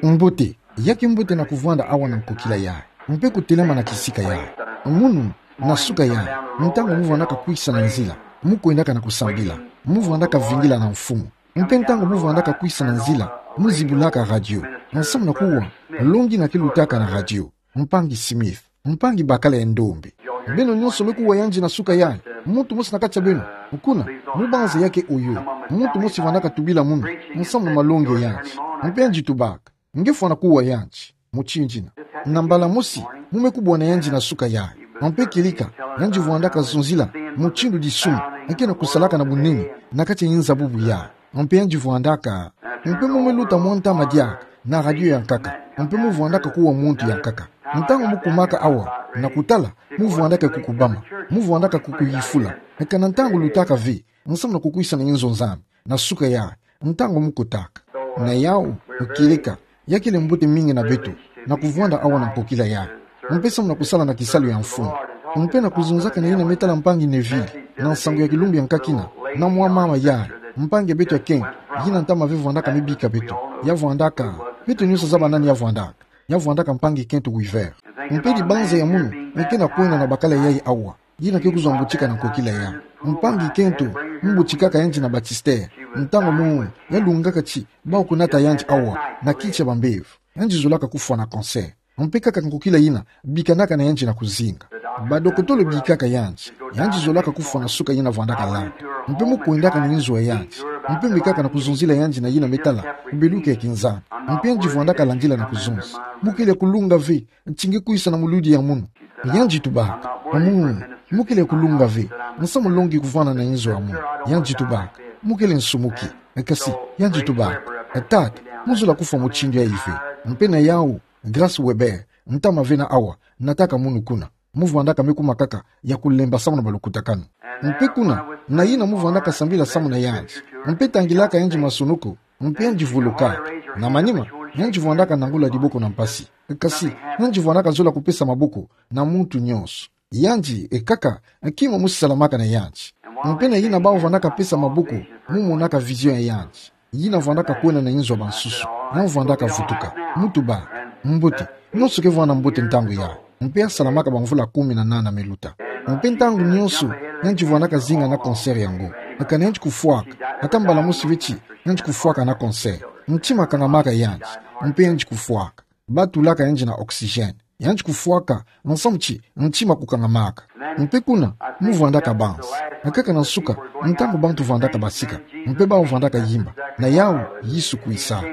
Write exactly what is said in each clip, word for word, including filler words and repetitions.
Mbote, ya ke mbote na kuvwanda awa na nkokila yayi, mpe kutelama na kisika yayi. Munu, na suka yayi, ntangu muvwandaka kwisa na nzila, mukwendaka na kusambila, muvwandaka vingila na mfumu. Mpe ntangu muvwandaka kwisa na nzila, muzibulaka radio, nsamu na kuwa longi na ke lutaka na radio. Mpangi Smith, mpangi bakala ya ndombe. Beno nyonso me kuwa yandi na suka yayi, muntu mosi na kati ya beno. Kuna, mubanza ya ke oyo, muntu mosi vwandaka tubila munu, nsamu na malongi ya yandi. Mpe yandi tubaka, nge fwana kuwa yandi mutindu yina. Na mbala mosi, mu me kubwana yandi na suka yayi. Mpe kieleka, yandi vwandaka zonzila mutindu disumu eke na kusalaka na bunene na kati ya nzabubu yayi. Mpe yandi vwandaka, mpe mu me luta mwa ntama diaka na radio ya nkaka, mpe muvwandaka kuwa muntu ya nkaka. Ntangu mukumaka awa na kutala, muvwandaka kukubama, muvwandaka kukuyifula. Kana ntangu lutaka ve, nsamu na kukwisa na nzo Nzambi, na suka yayi, ntangu mukotaka. Na yawu, kieleka, ya kele mbote mingi na beto, na kuvwanda awa na nkokila yayi. Mpe samu na kusala na kisalu ya mfumu. Mpe na kuzonzaka na yina me tala mpangi Neville, na nsangu ya kilumbu ya nkakina, na mwa mama yayi, mpangi ya beto ya Kent, yina ntama ve vwandaka me bika beto. Ya vwandaka, beto nyonso zaba nani ya vwandaka. Ya vwandaka mpangi Kent Weaver. Mpe dibanza ya munu, me ke na kwenda na bakala yayi awa. Yina ke kuzwa mbutika na nkokila yayi. Mpangi Kent, mbutikaka yandi na Baptiste. Ntangu mu, ya lungaka ti, bau kunata yandi awa, na kiti ya bambevo. Yandi zolaka kufwa na cancer. Mpe kaka nkokila yina, bikanaka na yandi na kuzinga. Badokotolo bikaka yandi, yandi zolaka kufwa na suka yina vwandaka landa. Mpe mukwendaka na nzo ya yandi. Mpe mekaka na kuzonzila yandi na yina me tala, kubeluka ya kinzambi. Mpe yandi vwandaka landila na kuzonza. Mu kele kulunga ve, ti nge kwisa na muludi ya munu. Yandi tubaka, amu, mu kele kulunga ve, nsamu longi kuvwanda na nzo ya munu. Yandi tubaka, mu kele nsumuki. Kasi, yandi tubaka, tata, mu zola kufwa mutindu yayi ve. Mpe na yawu, Grace Weber, ntama ve na awa, nataka munu kuna. Muvwandaka me kuma kaka ya kulemba samu na balukutakanu. Mpe kuna, na yina muvwandaka sambila samu na yandi. Mpe tangilaka yandi masonoko, mpe yandi vuluka. Na manima, yandi vwandaka nangula diboko na mpasi. Kasi, yandi vwandaka zola kupesa maboko na muntu nyonso. Yandi, e kaka, kima mosi salamaka na yandi. Mpe na yina bau vwandaka pesa maboko, mu monaka vision ya yandi. Yina vwandaka kwenda na nzo ya bansusu, ya vwandaka vutuka, mu tuba, mbote, nyonso ke vwanda mbote ntangu yayi. Mpe ya salamaka bamvula kumi na nana me luta. Mpe ntangu nyonso, yandi vwandaka zinga na cancer yango. Kana yandi kufwaka, ata mbala mosi ve ti, yandi kufwaka na cancer. Ntima kangamaka yandi, mpe yandi kufwaka. Batulaka yandi na oxygène. Yandi kufwaka, nsamu ti, ntima kukangamaka. Mpe kuna, mu vwandaka banza. Kaka na nsuka, ntangu bantu vwandaka basika. Mpe bau vwandaka yimba. Na yawu, Yesu kwisaka.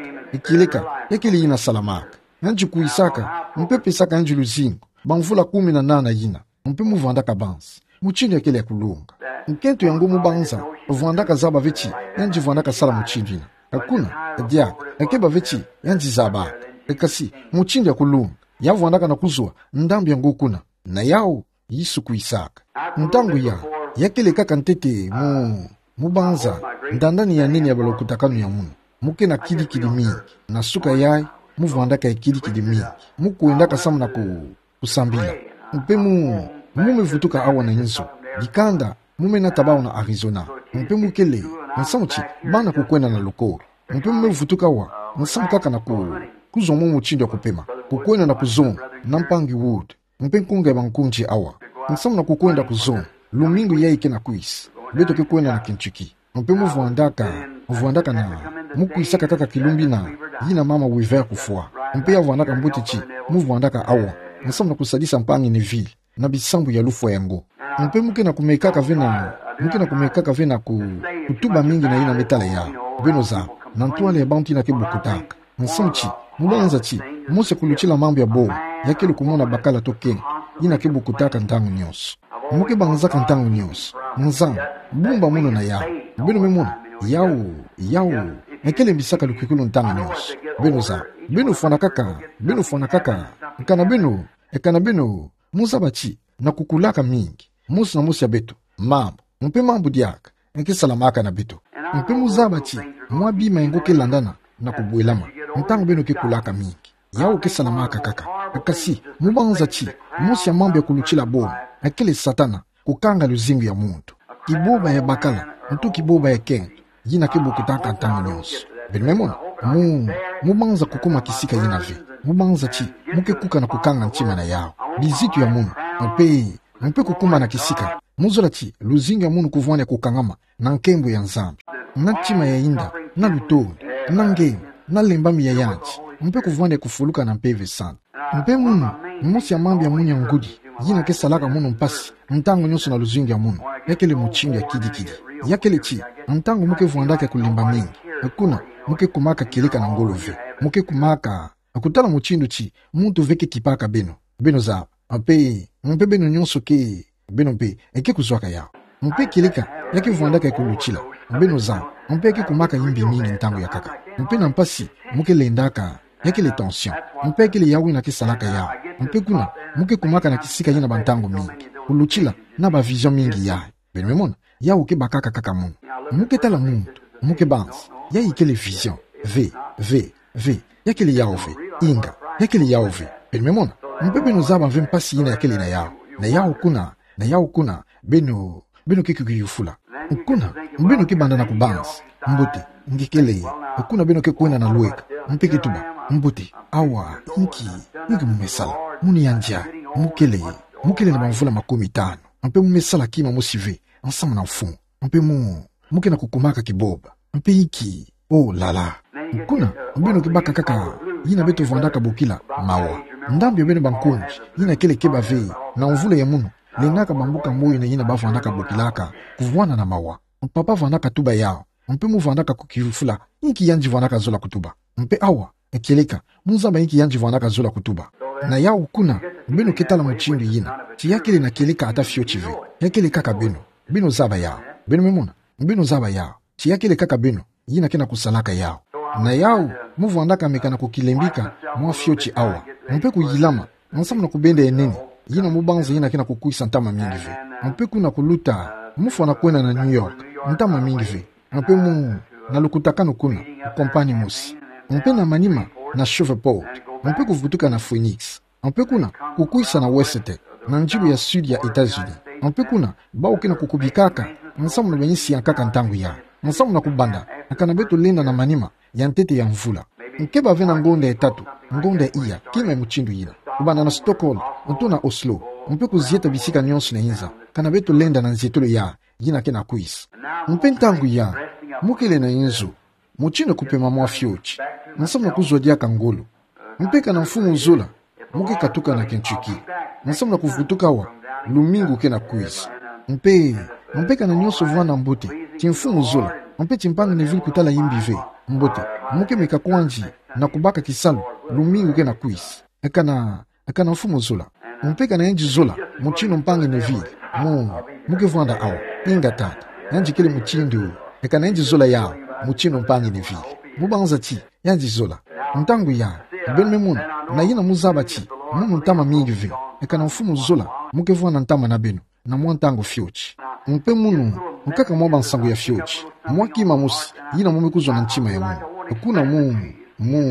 Kieleka, ya kele yina salamaka. Yandi kwisaka, mpe pesaka yandi luzingu. Bamvula kumi na nana yina. Mpe mu vwandaka banza. Mutindu ya kele ya kulunga. Nkento yango mu banza, vwandaka zaba ve ti, yandi vwandaka sala mutindu yina. Kuna, diaka, keba ve ti, yandi zabaka. Kasi, mutindu ya kulunga. Ya vwandaka na kuzwa, ndambu yango kuna. Na yawu, Yesu kwisaka. Ntangu yayi, ya kele kaka ntete, mu, mu banza, ndandani ya nene ya balukutakanu ya munu. Mu ke na kidikidi mingi. Na suka yayi, mu vwandaka ya kidikidi mingi. Mu kwendaka samu na ku, kusambila. Mpe mu, mu me vutuka awa na nzo. Dikanda, mu me nata bau na Arizona. Mpe mu kele, nsamu ti, bana kukwenda na lukolo. Mpe mu me vutuka awa, nsamu kaka na ku, kuzwa mwa mutindu ya kupema. Kukwenda na kuzonga, na mpangi Wood. Mpe nkunga ya bankundi awa. Nsamu na kukwenda kuzonga, lumingu yayi ke na kwisa. Beto ke kwenda na Kentucky. Mpe mu vwandaka, mu vwandaka na, mu kwisaka kaka kilumbu yina, yina mama Weaver kufwa. Mpe ya vwandaka mbote ti, mu vwandaka awa. Nsamu na kusadisa mpangi Neville, na bisambu ya lufwa yango. Mpe mu ke na kumekaka ve na, mu ke na kumekaka ve na ku, kutuba mingi na yina me tala yawu. Beno zaba, na ntwala ya bantu yina ke bokotaka. Nsamu ti, mu banza ti, mosi ya kulutila mambu ya bobo, ya kele kumona bakala to kento, yina ke bokotaka ntangu nyonso. Mu ke banzaka ntangu nyonso. Nzambi, bumba munu na yawu. Beno me mona, yawu, yawu. E kele mbisaka lukikulu ntangu nyonso. Beno zaba, beno fwanakaka, beno fwanakaka. Kana beno, e kana beno, mu zaba ti, na kukulaka mingi. Mosi na mosi ya beto, mambu. Mpe mambu diaka, e ke salamaka na beto. Mpe mu zaba ti, mwa bima yango ke landana, na kubwelama. Ntangu beno ke kulaka mingi. Yawu ke salamaka kaka. Kasi, mu banza ti, mosi ya mambu ya kulutila bobo, e kele Satana, kukanga luzingu ya muntu. Kiboba ya bakala, nto kiboba ya kento, yina ke bokotaka ntangu nyonso. Beno me mona, Mu, mu banza kukuma kisika yina ve. Mu banza ti, mu ke kuka na kukanga ntima na yawu. Bizitu ya munu, mpe, mpe kukuma na kisika. Mu zola ti luzingu ya munu kuvwani kukangama na nkembo ya Nzambi, na ntima ya inda, na lutondi, na nge, na lembami ya yandi, mpe kuvwani kufuluka na Mpeve Santu. Mpe munu, mosi ya mambu ya munu ya ngudi, yina ke salaka munu mpasi ntangu nyonso na luzingu ya munu, ya kele mutindu ya kidikidi. Ya kele ti, ntangu mu ke vwandaka kulemba mingi, kuna, mu ke kumaka kieleka na ngolo ve. Mu ke kumaka, kutala mutindu ti muntu ve ke kipaka beno. Beno zaba, mpe, mpe beno nyonso ke, beno mpe, e ke kuzwaka yawu. Mpe kieleka, ya ke vwandaka kulutila. Beno zaba, mpe ya ke kumaka yimbi mingi ntangu ya nkaka. Mpe na mpasi, mu ke lendaka, ya kele tension. Mpe ya kele yawu yina ke salaka yawu. Mpe kuna, mu ke kumaka na kisika yina bantangu mingi. Kulutila, na ba vision mingi yayi. Beno me mona, yawu ke bakaka kaka munu. Mu ke tala muntu, mu ke banza, yayi kele vision. Ve, ve, ve, ya kele yawu ve, inga, ya kele yawu ve. Beno me mona, mpe beno zaba ve mpasi yina ya kele na yawu. Na yawu kuna, na yawu kuna, beno, beno ke kukiyufula. Kuna, beno ke banda na kubanza, mbote, nge kele, kuna beno ke kwenda na lweka, mpe ke tuba, mbote, awa, inki, inki mu me sala, munu yandi a, mu kele, mu kele na bamvula makumi tanu. Mpe mu me sala kima mosi ve, ensemble na mfumu. Mpe mu, mu ke na kukumaka kiboba. Mpe inki, oh là là. Kuna, beno ke baka kaka, yina beto vwandaka bokila, mawa. Ndambu ya beno bankonzi, yina kele keba ve, na mvula ya munu, lendaka bambuka moyo na yina ba vwandaka bokilaka, kuvwanda na mawa. Papa vwandaka tuba yawu, mpe mu vwandaka kukiyufula, inki yandi vwandaka zola kutuba. Mpe awa, kieleka, mu zaba inki yandi vwandaka zola kutuba. Na yawu kuna, beno ke tala mutindu yina, ti ya kele na kieleka ata fioti ve, ya kele kaka beno, beno zaba yawu, beno me mona, beno zaba yawu, ti ya kele kaka beno, yina ke na kusalaka yawu. Na yawu, mu vwandaka meka na kukilembika, mwa fioti awa, mpe kuyilama, ensemble na kubenda ya nene, yina mu banza yina ke na kukwisa ntama mingi ve. Mpe kuna kuluta, mu fwana kwenda na New York, ntama mingi ve. Mpe mu, na lukutakanu kuna, ku compagnie mosi. Mpe na manima, na Shreveport. Mpe kuvutuka na Phoenix. Mpe kuna, kukwisa na West, na njilu ya Sud ya États-Unis. Mpe kuna, bawu ke na kukubikaka, ensemble na bayinsi ya nkaka ntangu yayi. Ensemble na kubanda, kana beto lenda na manima, ya ntete ya mvula. Nge ke bavena ngonda ya tatu, ngonda ya iya, kima ya mutindu yina. Kubanda na Stockholm, nto na Oslo, mpe kuzieta bisika nyonso na inza, kana beto lenda na nzietolo yayi, yina ke na kwisa. Mpe ntangu yayi, mu kele na inzo, mutindu kupema mwa fioti, ensemble na kuzwa diaka ngolo. Mpe kana mfumu zola, mu ke katuka na Kentucky. Ensemble na kuvutuka awa, lumingu ke na kwisa. Mpe, mpe kana nyonso vwanda mbote, ti mfumu zola, mpe ti mpangi Neville kutala yimbi ve, mbote, mu ke meka kwandi, na kubaka kisalu, lumingu ke na kwisa. Kana, kana mfumu zola. Mpe kana yandi zola, mutindu mpangi Neville, mu, mu ke vwanda awa, inga tata, yandi kele mutindu, kana yandi zola yawu, mutindu mpangi Neville. Mu banza ti, yandi zola. Ntangu yayi, beno me mona, na yina mu zaba ti, munu ntama mingi ve, kana mfumu zola, mu ke vwanda ntama na beno, na mwa ntangu fioti. Mpe munu, nkaka mwa bansangu ya fioti, mwa kima mosi, yina mu me kuzwa na ntima ya munu. Kuna mu, mu,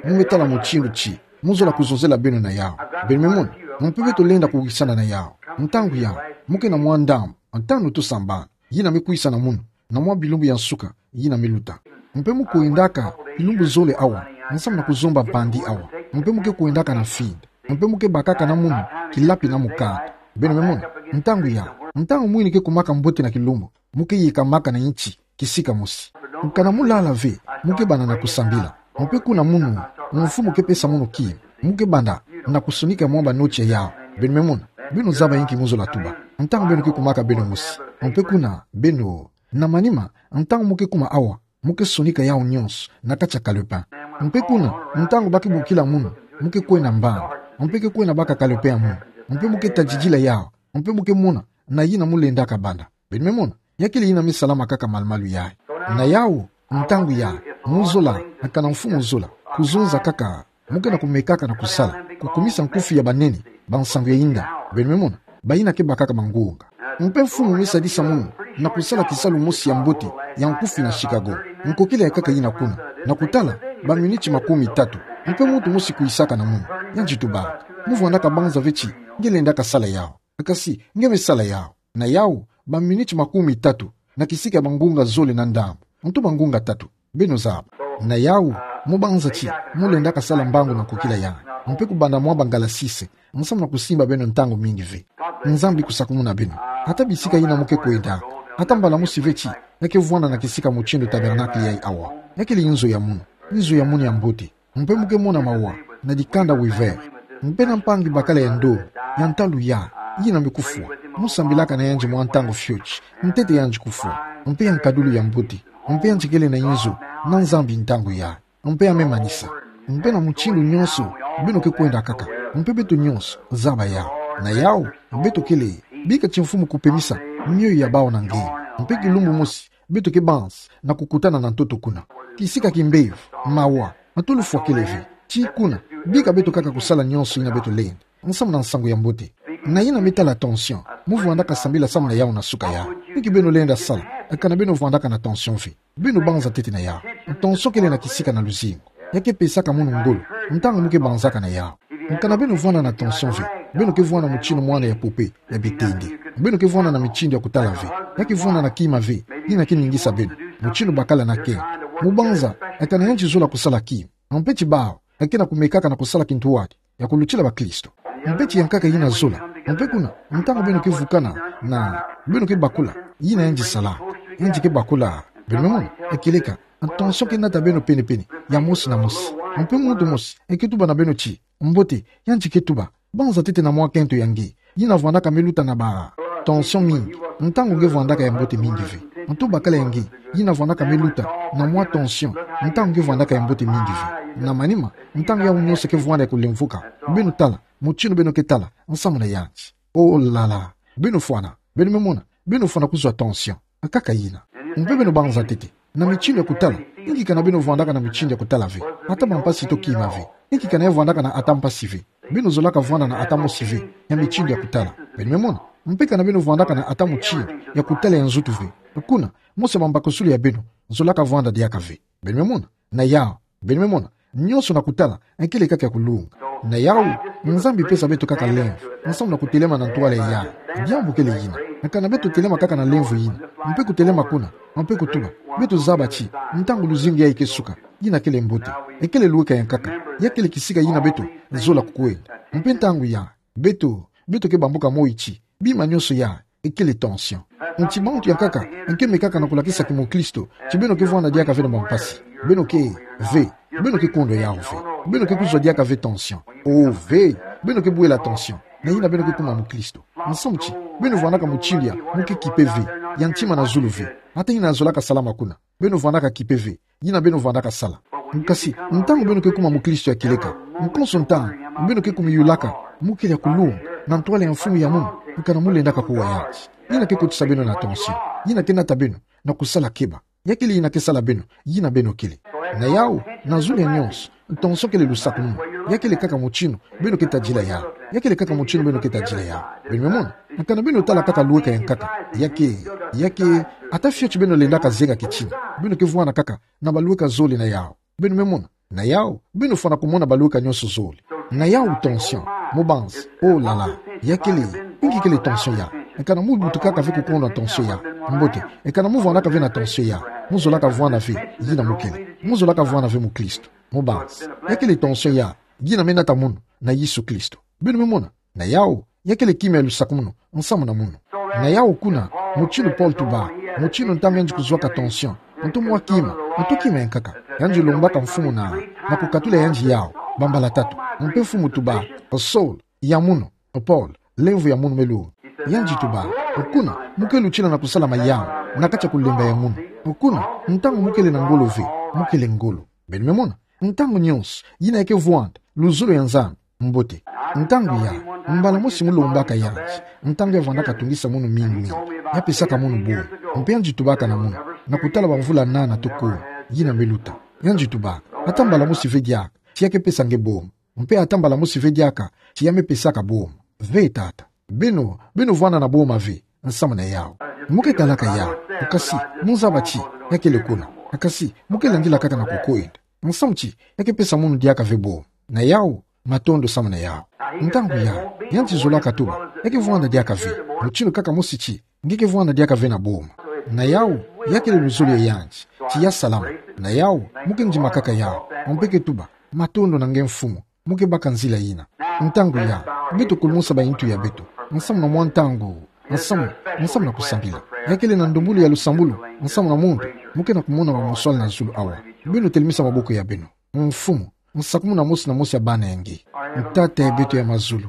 mu me tala mutindu ti, mu zola kuzonzela beno na yawu. Beno me mona, mpe beto lenda kuwisana na yawu. Ntangu yayi, mu ke na mwa ndambu, ntanu to sambanu, yina me kwisa na munu, na mwa bilumbu ya nsuka, yina me luta. Mpe mu kwendaka, bilumbu zole awa, ensemble na kuzomba mpandi awa. Mpe mu ke kwendaka na mfinda. Mpe mu ke bakaka na munu, kilapi na mukanda. Beno me mona, ntangu yayi, ntangu mwini ke kumaka mbote na kilumbu, mu ke yekamaka na nti, kisika mosi. Kana mu lala ve, mu ke banda na kusambila. Mpe kuna munu, mfumu ke pesa munu kima, mu ke banda, na kusonika mwa banoti yawu. Beno me mona, beno zaba inki mu zola tuba. Ntangu beno ke kumaka beno mosi. Mpe kuna, beno, na manima, ntangu mu ke kuma awa, mu ke sonika yawu nyonso, na kati ya calepin. Mpe kuna, ntangu ba ke bokila munu, mu ke kwenda mbanda. Mpe ke kwenda baka calepin ya munu. Mpe mu ke tadidila yawu. Mpe mu ke mona, na yina mu lendaka banda. Beno me mona, ya kele yina me salama kaka malu-malu yayi. Na yawu, ntangu yayi, mu zola, kana mfumu zola, kuzonza kaka, mu ke na kumekaka na kusala, kukumisa nkufi ya banene, bansangu ya inda, beno me mona, bayina ke bakaka bangunga. Mpe mfumu me sadisa munu, na kusala kisalu mosi ya mbote, ya nkufi na Chicago, nkokila ya nkaka yina kuna, na kutala, baminiti makumi tatu, mpe muntu mosi kwisaka na munu, yandi tubaka, mu vwandaka banza ve ti, nge lendaka sala yawu. Kasi, nge me sala yawu. Na yawu, baminiti makumi tatu, na kisika ya bangunga zole na ndambu. Ntu bangunga tatu. Beno zaba. Na yawu, Mubanza ti, mulendaka sala mbangu na kukila yanga. Mpe kubanda mwa bangala sise, nsamu na kusimba beno ntangu mingi ve. Nzambi kusakumuna beno. Ata bisika yina muke kwendaka, ata mbala mosi ve ti, ya ke vwanda na kisika mutindu tabernacle yayi awa. Ya kele nzo ya munu, nzo ya munu ya mbote. Mpe muke mona mawa, na dikanda wiver. Mpe na mpangi bakala ya ndono, ya ntalu ya, yina me kufwa. Musambilaka na yandi mwa ntangu fioti, ntete yandi kufwa. Mpe ya nkadulu ya mbote. Mpe yandi kele na inzo, na Nzambi ntangu ya. Mpe ya me manisa. Mpe na mutindu nyonso, beno ke kwenda kaka. Mpe beto nyonso, zaba ya. Na yawu, beto kele, bika ti mfumu kupemisa, mioyo ya bawu na nge. Mpe kilumbu mosi, beto ke banzi, na kukutana na ntoto kuna. Kisika kimbevo, mawa, matolo fwa kele ve. Ti kuna, bika beto kaka kusala nyonso yina beto lenda. Nsamu na nsangu ya mbote. Na yina me tala tension, muvwandaka sambila samu na yawu na suka ya. Inki beno lenda sala, kana beno vwandaka na tension ve. Beno banza ntete na yawu. Tension kele na kisika na luzingu. Ya ke pesaka munu ngolo, ntangu muke banzaka na yawu. Kana beno vwanda na tension ve, beno ke vwanda mutindu mwana ya poupée, ya bitende. Beno ke vwanda na mitindu ya kutala ve. Ya ke vwanda na kima ve, yina ke ningisa beno. Mutindu bakala na ke. Mubanza, kana yandi zola kusala kima. Mpe ti bawu, ke na kumekaka na kusala kintwadi, ya kulutila bakristo. Mpe ti yankaka yina zola. Mpe kuna, ntangu beno ke vukana, na, beno ke bakula, yina yandi sala. Yandi ke bakula, beno me mona, kieleka, tension ke nata beno pene-pene, ya mosi na mosi. Mpe muntu mosi, ke tuba na beno ti, mbote, yandi ke tuba, banza ntete na mwa kento ya nge, yina vwandaka me luta na ba tension mingi, ntangu nge vwandaka ya mbote mingi ve. Ntu bakala ya nge, yina vwandaka me luta na mwa tension, ntangu nge vwandaka ya mbote mingi ve. Na manima, ntangu yawu nyonso ke vwanda ya kulemvuka, beno tala, mutindu beno ke tala, nsamu na yandi. Oh là là, beno fwana, beno me mona, beno fwana kuzwa tension. Kaka yina. Mpe beno banza ntete. Na mitindu ya kutala. Inki kana beno vwandaka na mitindu ya kutala ve. Ata bampasi to kima ve. Inki kana ya vwandaka na ata mpasi ve. Beno zolaka vwanda na ata mosi ve. Ya mitindu ya kutala. Beno me mona. Mpe kana beno vwandaka na ata mutindu ya kutala ya nzutu ve. Kuna, mosi ya bambakuzulu ya beno. Zolaka vwanda diaka ve. Beno me mona. Na yawu, beno me mona, nyonso na kutala, kele kaka ya kulunga. Na yawu, Nzambi pesa beto kaka lemvo, nsamu na kutelema na ntwala yayi. Diambu kele yina, kana beto telema kaka na lemvo yina, mpe kutelema kuna, mpe kutuba, beto zaba ti, ntangu luzingu yayi ke suka, yina kele mbote, kele lweka ya nkaka, ya kele kisika yina beto, zola kukwenda. Mpe ntangu yayi, beto, beto ke bambuka moyo ti, bima nyonso yayi, kele tension. Nti bantu ya nkaka, ke mekaka na kulakisa kimukristo, ti beno ke vwanda diaka ve na bampasi. Beno ke, ve, beno ke kondwa yawu ve. Beno ke kuzwa diaka ve tension. Oh ve, beno ke bwela tension. Na yina beno ke kuma mukristo. Nsamu ti, beno vwandaka mutindu ya, muke kipe ve, ya ntima na zulu ve. Ata yina zolaka salama kuna. Beno vwandaka kipe ve, yina beno vwandaka sala. Nkasi, ntangu beno ke kuma mukristo ya kieleka. Nkonso ntangu, beno ke kumiyulaka, mukele ya kulunga, na ntwala ya mfumu ya munu, kana mulendaka kuwa yandi. Yina ke kotisa beno na tension. Yina ke nata beno, na kusala keba. Ya kele yina ke sala beno, yina beno kele. Na yawu, na zulu ya nyonso, tension kele lusakumunu. Ya kele kaka mutindu, beno ke tadila yawu. Ya kele kaka mutindu beno ke tadila yawu. Beno me mona, kana beno tala kaka lweka ya nkaka. Ya ke, ya ke, ata fioti beno lendaka zenga kitina. Beno ke vwanda kaka, na balweka zole na yawu. Beno me mona. Na yawu, beno fwana kumona balweka nyonso zole. Na yawu tension, mubanza, oh là là. Ya kele, inki kele tension yayi. Kana mubutukaka ve kukondwa tension yayi. Mbote, kana muvwandaka ve na tension yayi. Muzolaka vwanda ve, yina mukele. Muzolaka vwanda ve mukristo. Mubanza. Ya kele tension yayi, yina me nata munu, na Yesu Kristo. Beno me mona. Na yawu, ya kele kima ya lusakumunu, nsamu na munu. Na yawu kuna, mutindu Paul tuba, mutindu ntangu yandi kuzwaka tension, ntu mwa kima, ntu kima ya nkaka, yandi lombaka mfumu na, na kukatula yandi yawu, bambala tatu, mpe mfumu tuba, Saul, ya munu, Paul, lemvo ya munu me lunga. Yandi tuba, kuna, muke lutila na kusala mayamu, na kati ya kulemba ya munu. Kuna, ntangu mukele na ngolo ve, mukele ngolo. Beno me mona, ntangu nyonso, yina ya ke vwanda, luzolo ya Nzambi, mbote. Ntangu yayi, mbala mosi mulombaka yandi, ntangu ya vwandaka tungisa munu mingi mingi, ya pesaka munu boma, mpe yandi tubaka na munu, na kutala bamvula nana to kumi, yina me luta. Yandi tubaka, ata mbala mosi ve diaka, ti ya ke pesa nge boma, mpe ata mbala mosi ve diaka, ti ya me pesaka boma. Ve tata. Beno, beno vwanda na boma ve, nsamu na yawu. Muke talaka yawu, nkasi, muzaba ti, ya kele kuna. Nkasi, muke landila kaka na kukwenda. Nsamu ti, ya ke pesa munu diaka ve boma. Na yawu, matondo samu na yawu. Ntangu yayi, yandi zolaka tuba, ya ke vwanda diaka ve. Mutindu kaka mosi ti, nge ke vwanda diaka ve na boma. Na yawu, Ya kele luzolo ya yandi. Ti ya salama. Na yawu, mo ke ndima kaka yawu. Mo mpe ke tuba: Matondo na nge Mfumu. Mo ke baka nzila yina. Ntangu ya, beto kulumusa baintu ya beto. Nsamu na mwa ntangu. Nsamu, nsamu na kusambila. Ya kele na ndombolo ya lusambulu, nsamu na muntu, mo ke na kumona bamoswala na zulu awa. Beno telemisa maboko ya beno. Mfumu, nsakumunu mosi na mosi ya bana ya nge. Tata ya beto ya mazulu,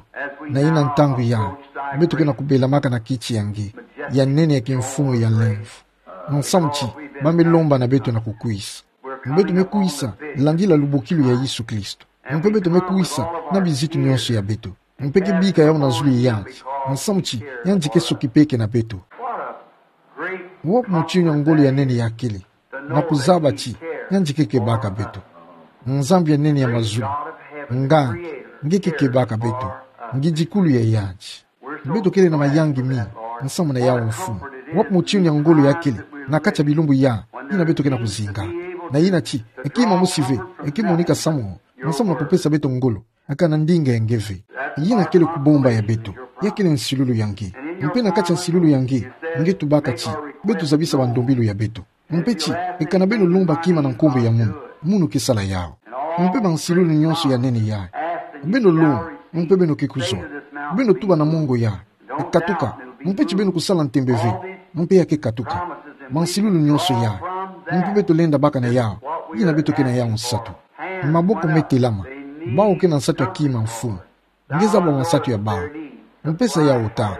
na yina ntangu ya, beto ke na kubelamaka na kiti ya nge ya nene ya kimfumu ya lemvo. Nsamu ti, ba me lomba na beto na kukwisa. Beto me kwisa landila lubokilu ya Yesu Kristo. Mpe beto me kwisa na bizitu nyonso ya beto. Mpe ke bika yawu na zulu ya yandi. Nsamu ti, yandi ke sokipeke na beto. Wapi motinu ya ngolo ya nene ya kele, na kuzaba ti yandi ke kebaka beto. Nzambi ya nene ya mazulu, nganga, nge ke kebaka beto. Ngidikulu ya yandi. Beto kele na mayangi mingi, nsamu na yawu Mfumu. Wapi motinu ya ngolo ya kele, na kati ya bilumbu ya, yina beto ke na kuzinga. Na yina ti, eke mosi ve, eke monika samu, nsamu na kupesa beto ngolo, eka na ndinga ya nge ve. Yina kele kubomba ya beto, ya kele nsilulu ya nge. Mpe na kati ya nsilulu ya nge, nge tubaka ti, beto zabisa bandombolo ya beto. Mpe ti, eka na beno lomba kima na nkumbu ya munu, munu ke sala yawu. Mpe bansilulu nyonso ya nene ya, beno lomba, mpe beno ke kuzwa. Beno tuba na mongo ya, katuka, mpe ti beno kusala ntembe ve, mpe ya ke katuka. Bansilulu nyonso ya, mpe beto lenda baka na yawu, yina beto ke na yawu nsatu. Maboko me telama, bawu ke na nsatu ya kima Mfumu. Nge zaba bansatu ya bawu. Mpesa yawu Tata.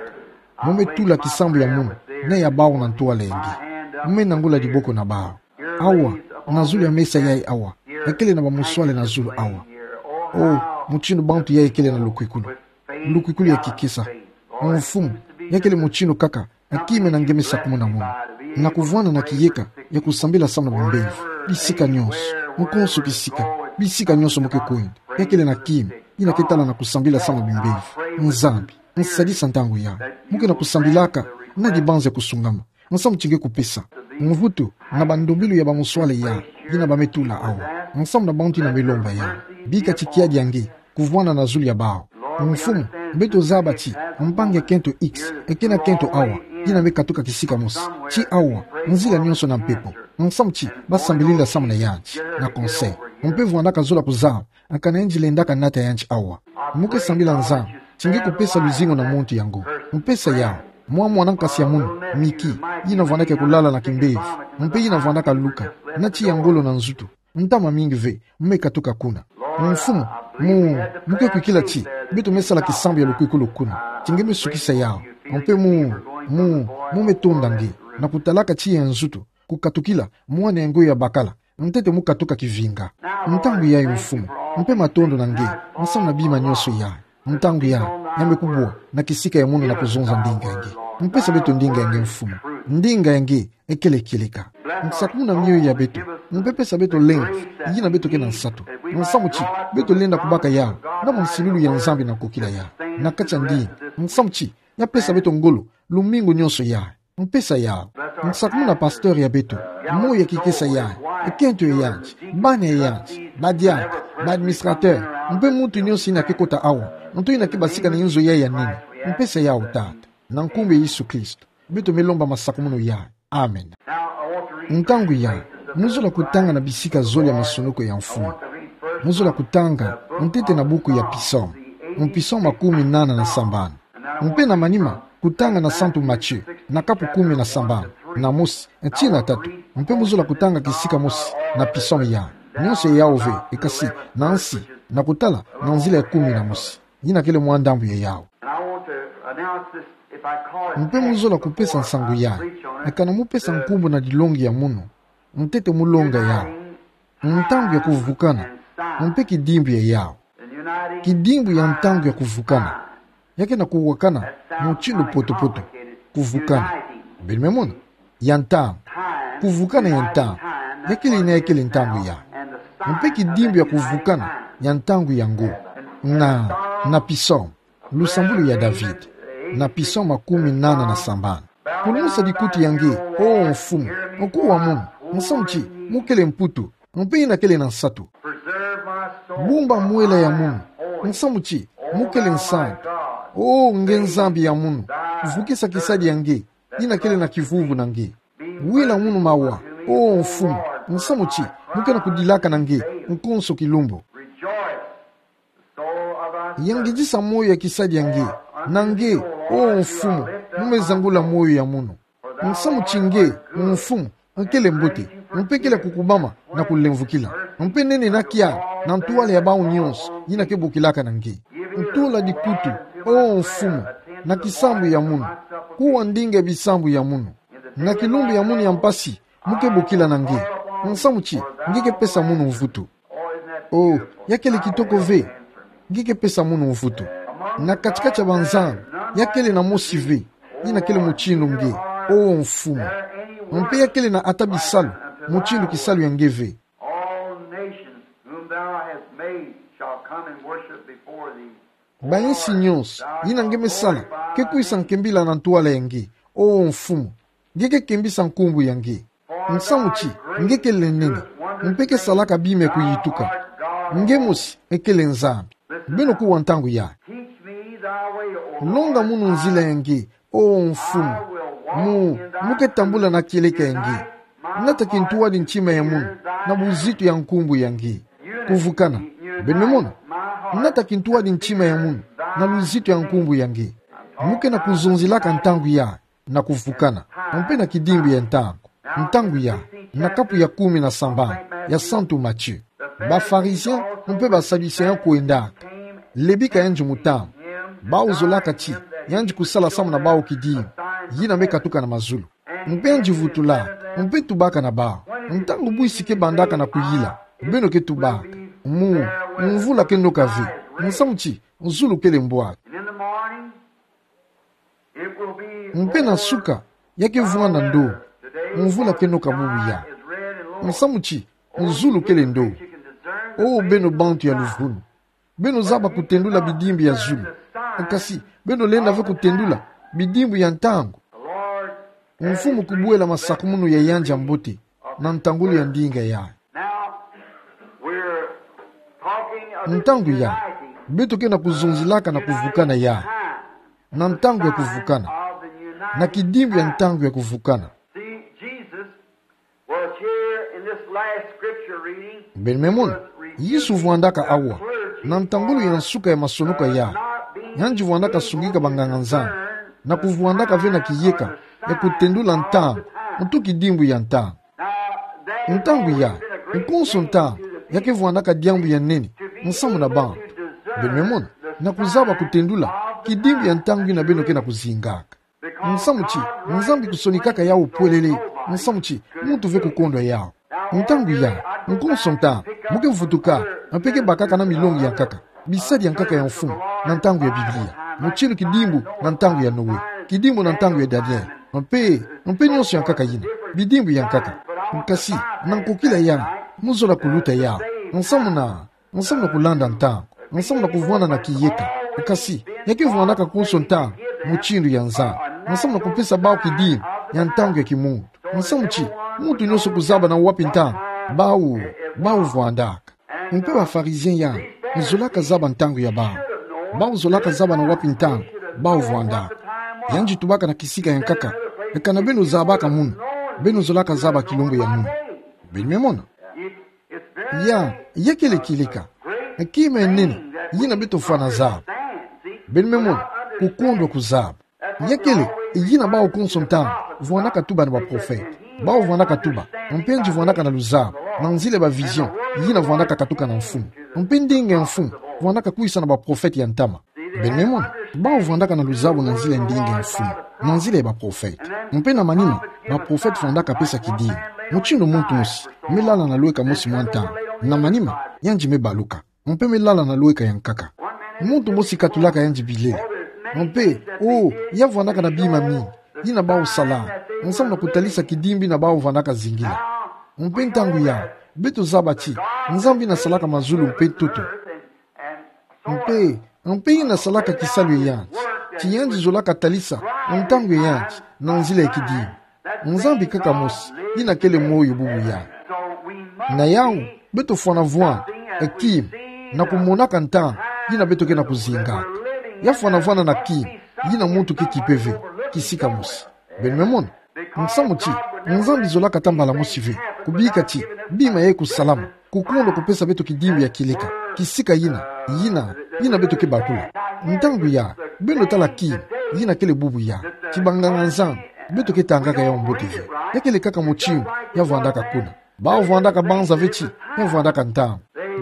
Mo me tula kisambu ya munu, na ya bawu na ntwala ya nge. Mo me nangula diboko na bawu. Awa, na zulu ya mesa yayi awa, ya kele na bamoswala na zulu awa. O, motinu bantu yayi kele na lukwikulu. Lukwikulu ya kikesa. Mfumu, ya kele motinu kaka, ya kima na nge me sakumuna munu. Na kuvwanda na kiyeka ya kusambila samu na bimbevo. Bisika nyonso, nkonso kisika, bisika nyonso mo ke kwenda, ya kele na kima, yina ke tala na kusambila samu na bimbevo. Nzambi, nsadisa ntangu ya, mo ke na kusambilaka, na dibanza ya kusungama. Nsamu ti nge kupesa mvutu na bandombolo ya bamoswala ya, yina ba me tula awa. Nsamu na bantu yina me lomba ya. Bika ti kiadi ya nge kuvwanda na zulu ya bawu. Mfumu, beto zaba ti mpangi ya kento X, eke na kento awa, yina me katuka kisika mosi. Ti awa, nzila nyonso na mpepo. Nsamu ti, ba sambilila samu na yandi, na conseil. Mpe vwandaka zola kuzaba, eka na yandi lendaka nata yandi awa. Mo ke sambila Nzambi, ti nge kupesa luzingu na muntu yango. Mpesa yawu, mwa mwana nkasi ya munu, Miki, yina vwandaka kulala na kimbevo, mpe yina vwandaka luka, na ti ya ngolo na nzutu. Ntama mingi ve, mo me katuka kuna. Mfumu, mo, mo ke kwikila ti, beto me sala kisambu ya lukwikulu kuna. Ti nge me sukisa yawu. Mpe mo, mo, mo me tonda nge, na kutalaka ti ya nzutu, kukatukila, mwana yango ya bakala, ntete mo katuka kivinga. Ntangu yayi Mfumu, mpe matondo na nge, nsamu na bima nyonso ya. Ntangu ya, ya me kubwa, na kisika ya munu na kuzonza ndinga ya nge. Mpesa beto ndinga ya nge Mfumu. Ndinga ya nge, ekele kieleka. Nsakumuna mioyo ya beto, mpe pesa beto lemvo, yina beto ke na nsatu. Nsamu ti, beto lenda kubaka yawu, na bansilulu ya Nzambi na kokila yawu. Na kati ya ndinga, nsamu ti, ya pesa beto ngolo, lumingu nyonso ya. Mpesa yawu. Nsakumuna pasteur ya beto, moyo ya kikesa ya, ekento ya yandi, bana ya yandi, badiaka, ba administrateur, mpe muntu nyonso yina ke kota awa, nto yina ke basika na inzo ya ya nini. Mpesa yawu Tata, na nkumbu ya Yesu Kristo. Beto me lomba masakumunu ya. Amen. Ntangu ya, mo zola kutanga na bisika zole ya masonoko ya Mfumu. Mo zola kutanga, ntete na buku ya Psaume. Psaume makumi nana na sambanu. Mpe na manima, kutanga na Santu Matthieu, na kapu kumi na sambanu, na mosi, tii na tatu, mpe mo zola kutanga kisika mosi, na Psaume ya, nyonso ya yawu ve, ekasi, na nsi, na kutala, na nzila ya kumi na mosi. Yina kele mwa ndambu ya yawu. Mpe mo zola kupesa nsangu ya, eka na mo pesa nkumbu na dilongi ya munu, ntete mo longa yawu. Ntangu ya kuvukana, mpe kidimbu ya yawu. Kidimbu ya ntangu ya kuvukana. Ya ke na kuwakana, motinu poto-poto. Kuvukana. Beno me mona? Ya ntangu. Kuvukana ya ntangu. Ya kele yina ya kele ntangu ya. Mpe kidimbu ya kuvukana, ya ntangu yango. Na, na Psaume. Lusambulu ya David, na Psaume makumi nana na sambanu. Kulumusa dikuti ya nge, o Mfumu, nkuwa munu, nsamu ti, mo kele mputu, mpe yina kele na nsatu. Bumba mwela ya munu, nsamu ti, mo kele nsantu. O nge Nzambi ya munu, vukisa kisadi ya nge, yina kele na kivuvu na nge. Wila munu mawa, O mfumu, nsamu ti, mu ke na kudilaka na nge nkonso kilumbu. Yangidisa moyo ya kisadi ya nge, na nge, O mfumu, mu me zangula moyo ya munu. Nsamu ti nge, mfumu, nkele mbote, mpe kele ya kukubama na kulemvukila. Mpe nene na kia, na ntwala ya bawu nyonso yina ke bokilaka na nge. Ntula dikutu, O mfumu, na kisambu ya munu. Kuwa ndinga ya bisambu ya munu. Na kilumbu ya munu ya mpasi, mu ke bokila na nge. Nsamu ti, nge ke pesa munu mvutu. O, ya kele kitoko ve. Nge ke pesa munu mvutu. Na katikati ya banzambi, ya kele na mosi ve yina kele mutindu nge, O mfumu. Mpe ya kele na ata bisalu mutindu kisalu ya nge ve. All nations whom thou hast made shall come and worship before thee. Bayinsi nyonso yina nge me sala ke kwisa nkembila na ntwala ya nge, O mfumu. Nge ke kembisa nkumbu ya nge. Nsamu ti, nge kele nene, mpe ke salaka bima ya kuyituka. Nge mosi, e kele Nzambi. Beno kuwa ntangu ya. Teach me thy way, O Lord. Longa munu nzila ya nge, O mfumu. Mu, mu ke tambula na kieleka ya nge. Nata kintwadi ntima ya munu, na buzitu ya nkumbu ya nge. Kuvukana. Beno me mona. Nata kintwadi ntima ya munu, na luzitu ya nkumbu ya nge. Mu ke na kuzonzelaka ntangu ya na kuvukana, mpe na kidimbu ya ntangu. Ntangu ya, na kapu ya kumi na sambanu ya Santu Matthieu. Ba Pharisiens mpe ba Sadducéens kwendaka. Lebi ka yandi mutambu. Bawu zolaka ti, yandi kusala samu na bawu kidimbu yina me katuka na mazulu. Mpe yandi vutulaka, mpe tubaka na bawu. Ntangu bwisi ke bandaka na kuyila, beno ke tubaka. Mu, mvula ke noka ve. Nsamu ti, zulu kele mbwaka. Mpe na nsuka, ya ke vwanda ndo. Mvula ke noka bubu ya. Nsamu ti, zulu kele ndo. O beno bantu ya luvunu. Beno zaba kutendula bidimbu ya zulu. Kasi, beno lenda ve kutendula bidimbu ya ntangu. Mfumu kubwela masakumunu ya yandi ya mbote na ntangulu ya ndinga ya. Now, we're talking of the Ntangu ya, uniting beto ke na kuzonzelaka na kuvukana ya. Na ntangu ya kuvukana. Na kidimbu ya ntangu ya kuvukana. See, Jesus was here in this last scripture reading. Beno me mona, Yesu vwandaka awa na ntangulu ya nsuka ya masonoka ya. Yandi vwandaka sungika banganga-nzambi na kuvwandaka ve na kiyeka ya kutendula ntangu, ntu kidimbu ya ntangu. Ntangu ya, nkonso ntangu, ya ke vwandaka diambu ya nene nsamu na bantu. Beno me mona, na kuzaba kutendula kidimbu ya ntangu yina beno ke na kuzingaka. Nsamu ti, Nzambi kusonikaka yawu pwelele. Nsamu ti, muntu ve kukondwa yawu. Ntangu ya, nkonso ntangu, mu ke vutuka, mpe ke bakaka na milongi ya nkaka, bisadi ya nkaka ya mfumu, na ntangu ya Biblia. Mutindu kidimbu na ntangu ya Noe, kidimbu na ntangu ya Daniel, mpe, mpe nyonso ya nkaka yina, bidimbu ya nkaka. Kasi, na nkokila ya, mu zola kuluta yawu. Nsamu na, nsamu na kulanda ntangu, nsamu na kuvwanda na kiyeka. Kasi, ya ke vwandaka nkonso ntangu, mutindu ya Nzambi. Nsamu na kupesa bawu kidimbu ya ntangu ya kimuntu. Nsamu ti, muntu nyonso kuzaba na wapi ntangu bawu, bawu vwandaka. Mpe ba Pharisiens ya, zolaka zaba ntangu ya bawu. Bawu zolaka zaba na wapi ntangu bawu vwandaka. Yandi tubaka na kisika ya nkaka. Kana beno zabaka munu, beno zolaka zaba kilombo ya munu. Beno me mona. Ya, ya kele kieleka, kima ya nene yina beto fwana zaba. Beno me mona, kukondwa kuzaba. Ya kele yina bawu konso ntangu vwandaka tuba na baprofete. Bawu vwandaka tuba, mpe yandi vwandaka na luzaba, na nzila ya bavision yina vwandaka katuka na mfumu. Mpe ndinga ya mfumu vwandaka kwisa na baprofete ya ntama. Beno me mona, bawu vwandaka na luzabu na nzila ya ndinga ya mfumu, na nzila ya baprofete. Mpe na manima, baprofete vwandaka pesa kidimbu. Mutindu muntu mosi me lala na lweka mosi mwa ntangu, na manima, yandi me baluka. Mpe me lala na lweka ya nkaka. Muntu mosi katulaka yandi bilele. Mpe, o, ya vwandaka na bima mingi yina bawu salaka, nsamu na kutalisa kidimbu yina bawu vwandaka zingila. Mpe ntangu ya, beto zaba ti, Nzambi yina salaka mazulu mpe ntoto. Mpe, mpe yina salaka kisalu ya yandi, ti yandi zolaka talisa ntangu ya yandi na nzila ya kidimbu. Nzambi kaka mosi yina kele moyo bubu ya. Na yawu, beto fwana vwanda, e kima, na kumonaka ntangu yina beto ke na kuzingaka. Ya fwana vwanda na kima yina muntu ke kipe ve, kisika mosi. Beno me mona. Nsamu ti, Nzambi zolaka ata mbala mosi ve kubika ti bima yayi kusalama, kukondo kupesa beto kidimbu ya kieleka, kisika yina, yina, yina beto kebakula. Ntangu ya, beno tala kina, yina kele bubu ya, ti banganga-Nzambi, beto ketangaka yau mbote ve. Ya kele kaka motindu ya vandaka kuna. Bawu vandaka banza ve ti ya vandaka ntangu.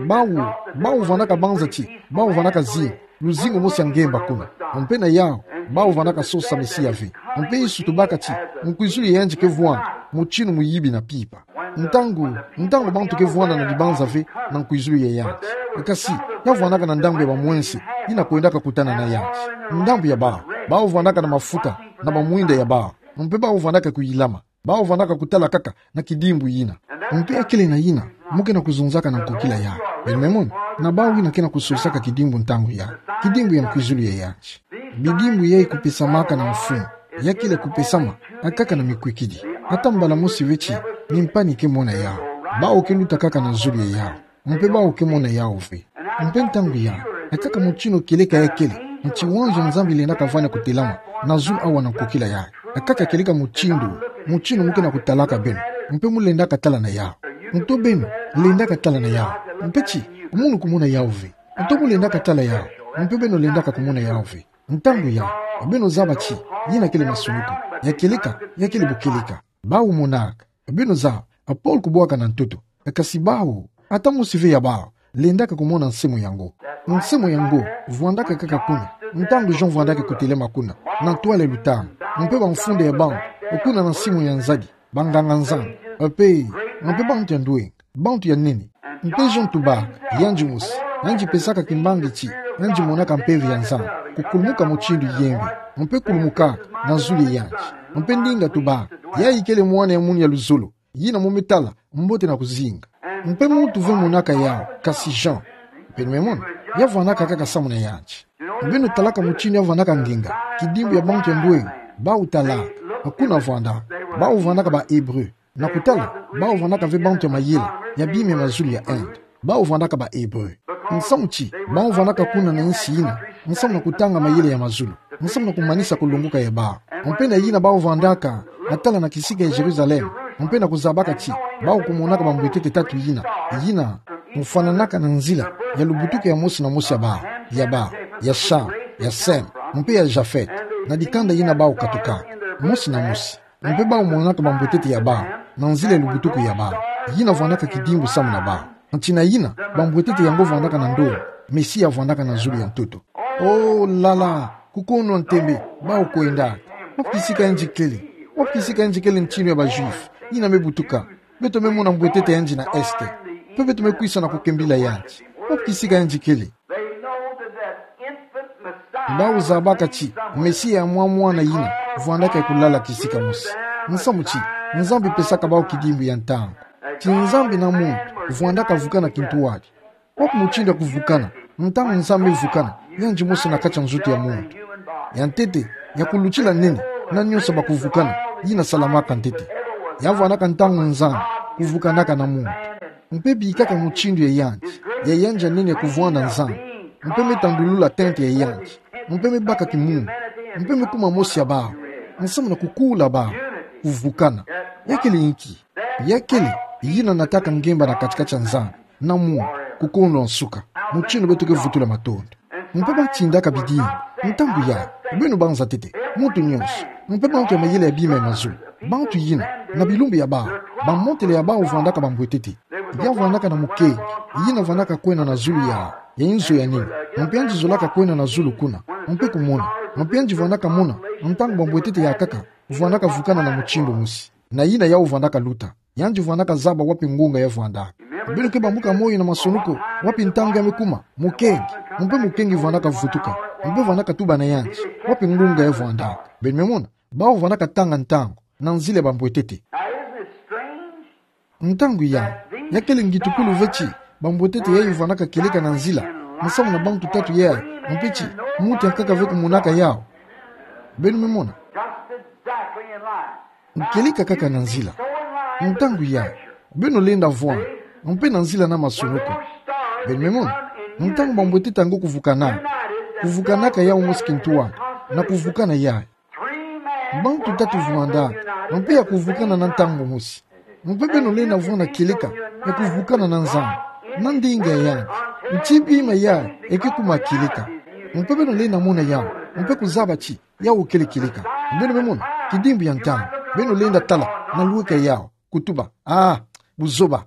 Bawu, bawu vandaka banza ti bawu vandaka zinga luzingu mosi ya ngemba kuna. Mpe na yau, bawu vandaka sosa Mesia ve. Mpe Yesu tubaka ti nkwizulu ya yandi kevwanda motinu muyibi na pipa. Ntangu, ntangu bantu kevwanda na dibanza ve na nkwizulu ya yandi. Kasi, ya vandaka na ndambu ya bamwense yina kwendaka kutana na yandi. Ndambu ya bawu, bawu vandaka na mafuta na bamwinda ya bawu. Mpe bawu vandaka kuyilama. Bawu vandaka kutala kaka na kidimbu yina. Mpe ya kele na yina mu ke na kuzonzaka na nkokila yayi. Beno me mona, na bawu yina ke na kusolisaka kidimbu ntangu yayi, kidimbu ya nkwizulu ya yandi. Bidimbu yayi kupesamaka na mfumu, ya kele kupesama akaka na mikwikidi. Ata mbala mosi ve ti mimpani kemona yau. Bawu keluta kaka na zulu ya yau. Mpe bawu kemona yau ve. Mpe ntangu yayi, akaka motinu kieleka ya kele, nti wanz'Onzambi lenda kavana kutelama na zulu awa na nkokila yayi. Akaka kieleka motindu, motinu mu ke na kutalaka beno, mpe mu lendaka tala na yau. Nto beno lendaka tala na yau. Mpe ti munu kumona yau ve. Nto mu lendaka tala yau, mpe beno lendaka kumona yau ve. Ntangu yayi, beno zaba ti yina kele masumuku. Ya kieleka, ya kele bukieleka. Bawu monaka. Beno zaba, a Paul kubwaka na ntoto. Kasi bawu, ata mosi ve ya bawu lendaka kumona nsemo yango. Nsemo yango vwandaka kaka kuna ntangu Jean vwandaka kutelema kuna, na ntwala ya lutama. Mpe bamfunda ya bantu kuna na nsimu ya nzadi, banganga-Nzambi, mpe, mpe bantu ya ndwenga, bantu ya nene. Mpe Jean tubaka, yandi mosi, yandi pesaka kimbangi ti yandi monaka Mpeve ya Nzambi kukulumuka motindu yembe, mpe kulumukaka na zulu ya yandi. Mpe ndinga tubaka, yayi kele mwana ya munu ya luzolo, yina mu me tala mbote na kuzinga. Mpe muntu ve monaka yau, kasi Jean. Beno me mona, ya vwandaka kaka samu na yandi. Beno talaka motindu ya vwandaka nginga, kidimbu ya bantu ya ndwenga, bawu talaka, kuna vwandaka, bawu vwandaka ba Hébreu. Na kutala, bawu vwandaka ve bantu ya mayela ya bima ya mazulu ya Inde. Bawu vwandaka ba Hébreu. Nsamu ti bawu vwandaka kuna na nsi yina, nsamu na kutanga mayela ya mazulu, nsamu na kumanisa kulongoka ya bawu. Mpe na yina bawu vwandaka, na tala na kisika ya Jérusalem, mpe na kuzabaka ti bawu kumonaka bambwetete tatu yina, yina mufwananaka na nzila ya lubutuku ya mosi na mosi ya bawu, ya bawu, ya Cham, ya Sem, mpe ya Japhet, na dikanda yina bawu katukaka mosi na mosi. Mpe bawu monaka bambwetete ya bawu na nzila ya lubutuku ya bawu, yina vwandaka kidimbu samu na bawu. Nti na yina bambwetete yango vwandaka na ndombe, Mesia vwandaka na zulu ya ntoto. Oh là là, kukono ntembe, bawu kwendaka. Wapi kisika yandi kele? Wapi kisika yandi kele, ntinu ya ba Juifs yina me butuka? Beto me mona mbwetete yandi na Est. Mpe beto me kwisa na kukembila yandi. Wapi kisika yandi kele? Bawu zabaka ti Mesia ya mwa mwana yina vwandaka ya kulala kisika mosi. Nsamu ti Nzambi pesaka bawu kidimbu ya ntangu. Ti Nzambi na muntu vwandaka vukana kintuadi. Wapi mutindu ya kuvukana? Ntangu Nzambi vukana, yandi mosi na kati ya nzutu ya muntu. Ya ntete, ya kulutila nene na nionso ba kuvukana, yina salamaka ntete. Ya vwandaka ntangu Nzambi kuvukanaka na muntu. Mpe bikaka mutindu ya yandi, ya yandi ya nene ya kuvwanda Nzambi. Mpe me tandulula tente ya yandi. Mpe me baka kimwingu. Mpe me kuma mosi ya bawu. Nsamu na kukula bawu. Kuvukana. Ya kele inki? Ya kele yina nataka ngemba na kati-kati ya Nzambi na muntu, kukono nsuka, mutindu beto ke vutula matondo. Mpe ba tindaka bidimbu, ntangu yayi, beno banza ntete, muntu nionso, mpe bantu ya mayela ya bima ya mazulu, bantu yina, na bilumbu ya bawu, bamotele ya bawu vwandaka bambwetete. Ya vwandaka na mukengi yina vwandaka kwenda na zulu ya, ya inzo ya nene, mpe yandi zolaka kwenda na zulu kuna, mpe kumona, mpe yandi vwandaka mona, ntangu bambwetete ya nkaka vwandaka vukana na mutindu mosi na yina yawu vwandaka luta. Yandi vwandaka zaba wapi ngunga ya vwandaka. Beno ke bambuka moyo na masonoko, wapi ntangu ya me kuma mukengi, mpe mukengi vwandaka vutuka, mpe vwandaka tuba na yandi wapi ngunga ya vwandaka. Beno me mona, bawu vwandaka tanga ntangu na nzila ya bambwetete. Now, isn't it strange? Ntangu yayi, ya kele ngitukulu ve ti bambwetete yayi vwandaka kieleka na nzila, nsamu na bantu tatu yayi, mpe ti muntu ya nkaka ve kumonaka yawu. Beno me mona? Just exactly in line. Nkieleka kaka na nzila. Ntangu yayi, beno lenda vwanda mpe na nzila na masonoko. Beno me mona? Ntangu bambwetete yango kuvukana, kuvukanaka yawu mosi kintuadi, na kuvukana yayi. Bantu tatu vwandaka, Mpe ya kuvukana na ntangu mosi. Mpe beno lenda vwanda kieleka ya kuvukana na Nzambi, na ndinga yandi. Nti bima yayi eke kuma kieleka. Mpe beno lenda mona yawu, mpe kuzaba ti yawu kele kieleka. Beno me mona kidimbu ya ntangu. Beno lenda tala na lueka yawu, kutuba: Ah, buzoba.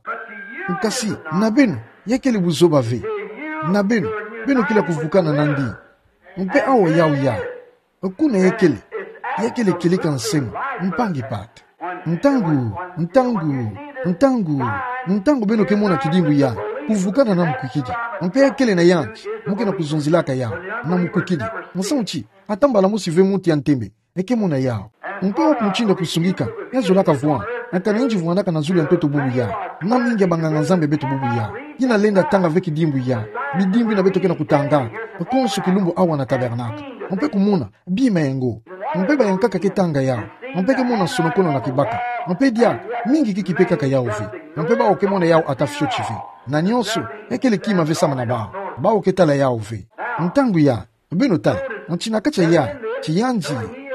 Kasi na beno, ya kele buzoba ve. Na beno, beno kele ya kuvukana na ndinga. Mpe awa yawu yayi, kuna ya kele, ya kele kieleka nsemo, mpangi pata. Ntangu, ntangu, ntangu, ntangu beno ke mona kidimbu yayi, kuvukana na mukwikidi. Mpe ya kele na yandi, mu ke na kuzonzelaka yawu na mukwikidi. Musamu ti, ata mbala mosi ve muntu ya ntembe eke mona yawu. Mpe wapi mutindu ya kusungika ya zolaka vwanda? Aka na yinzi vwandaka na zulu ya ntoto bubu yayi, na mingi ya banganga-Nzambi ya beto bubu yayi, yina lenda tanga ve kidimbu yayi, bidimbu yina beto ke na kutanga konso kilumbu awa na tabernakle. Mpe kumona bima ya ngo. Mpe bayankaka ke tanga yawu, mpe ke mona sonokono na kibaka. Mpe diaka mingi ke kipekaka yawu ve. Mpe bawu ke mona yawu ata fioti ve. Na nionso, ya kele kima ve samu na bawu. Bawu ke tala yawu ve. Ntangu yayi, beno tala, nti na kati ya yandi, ti yandi,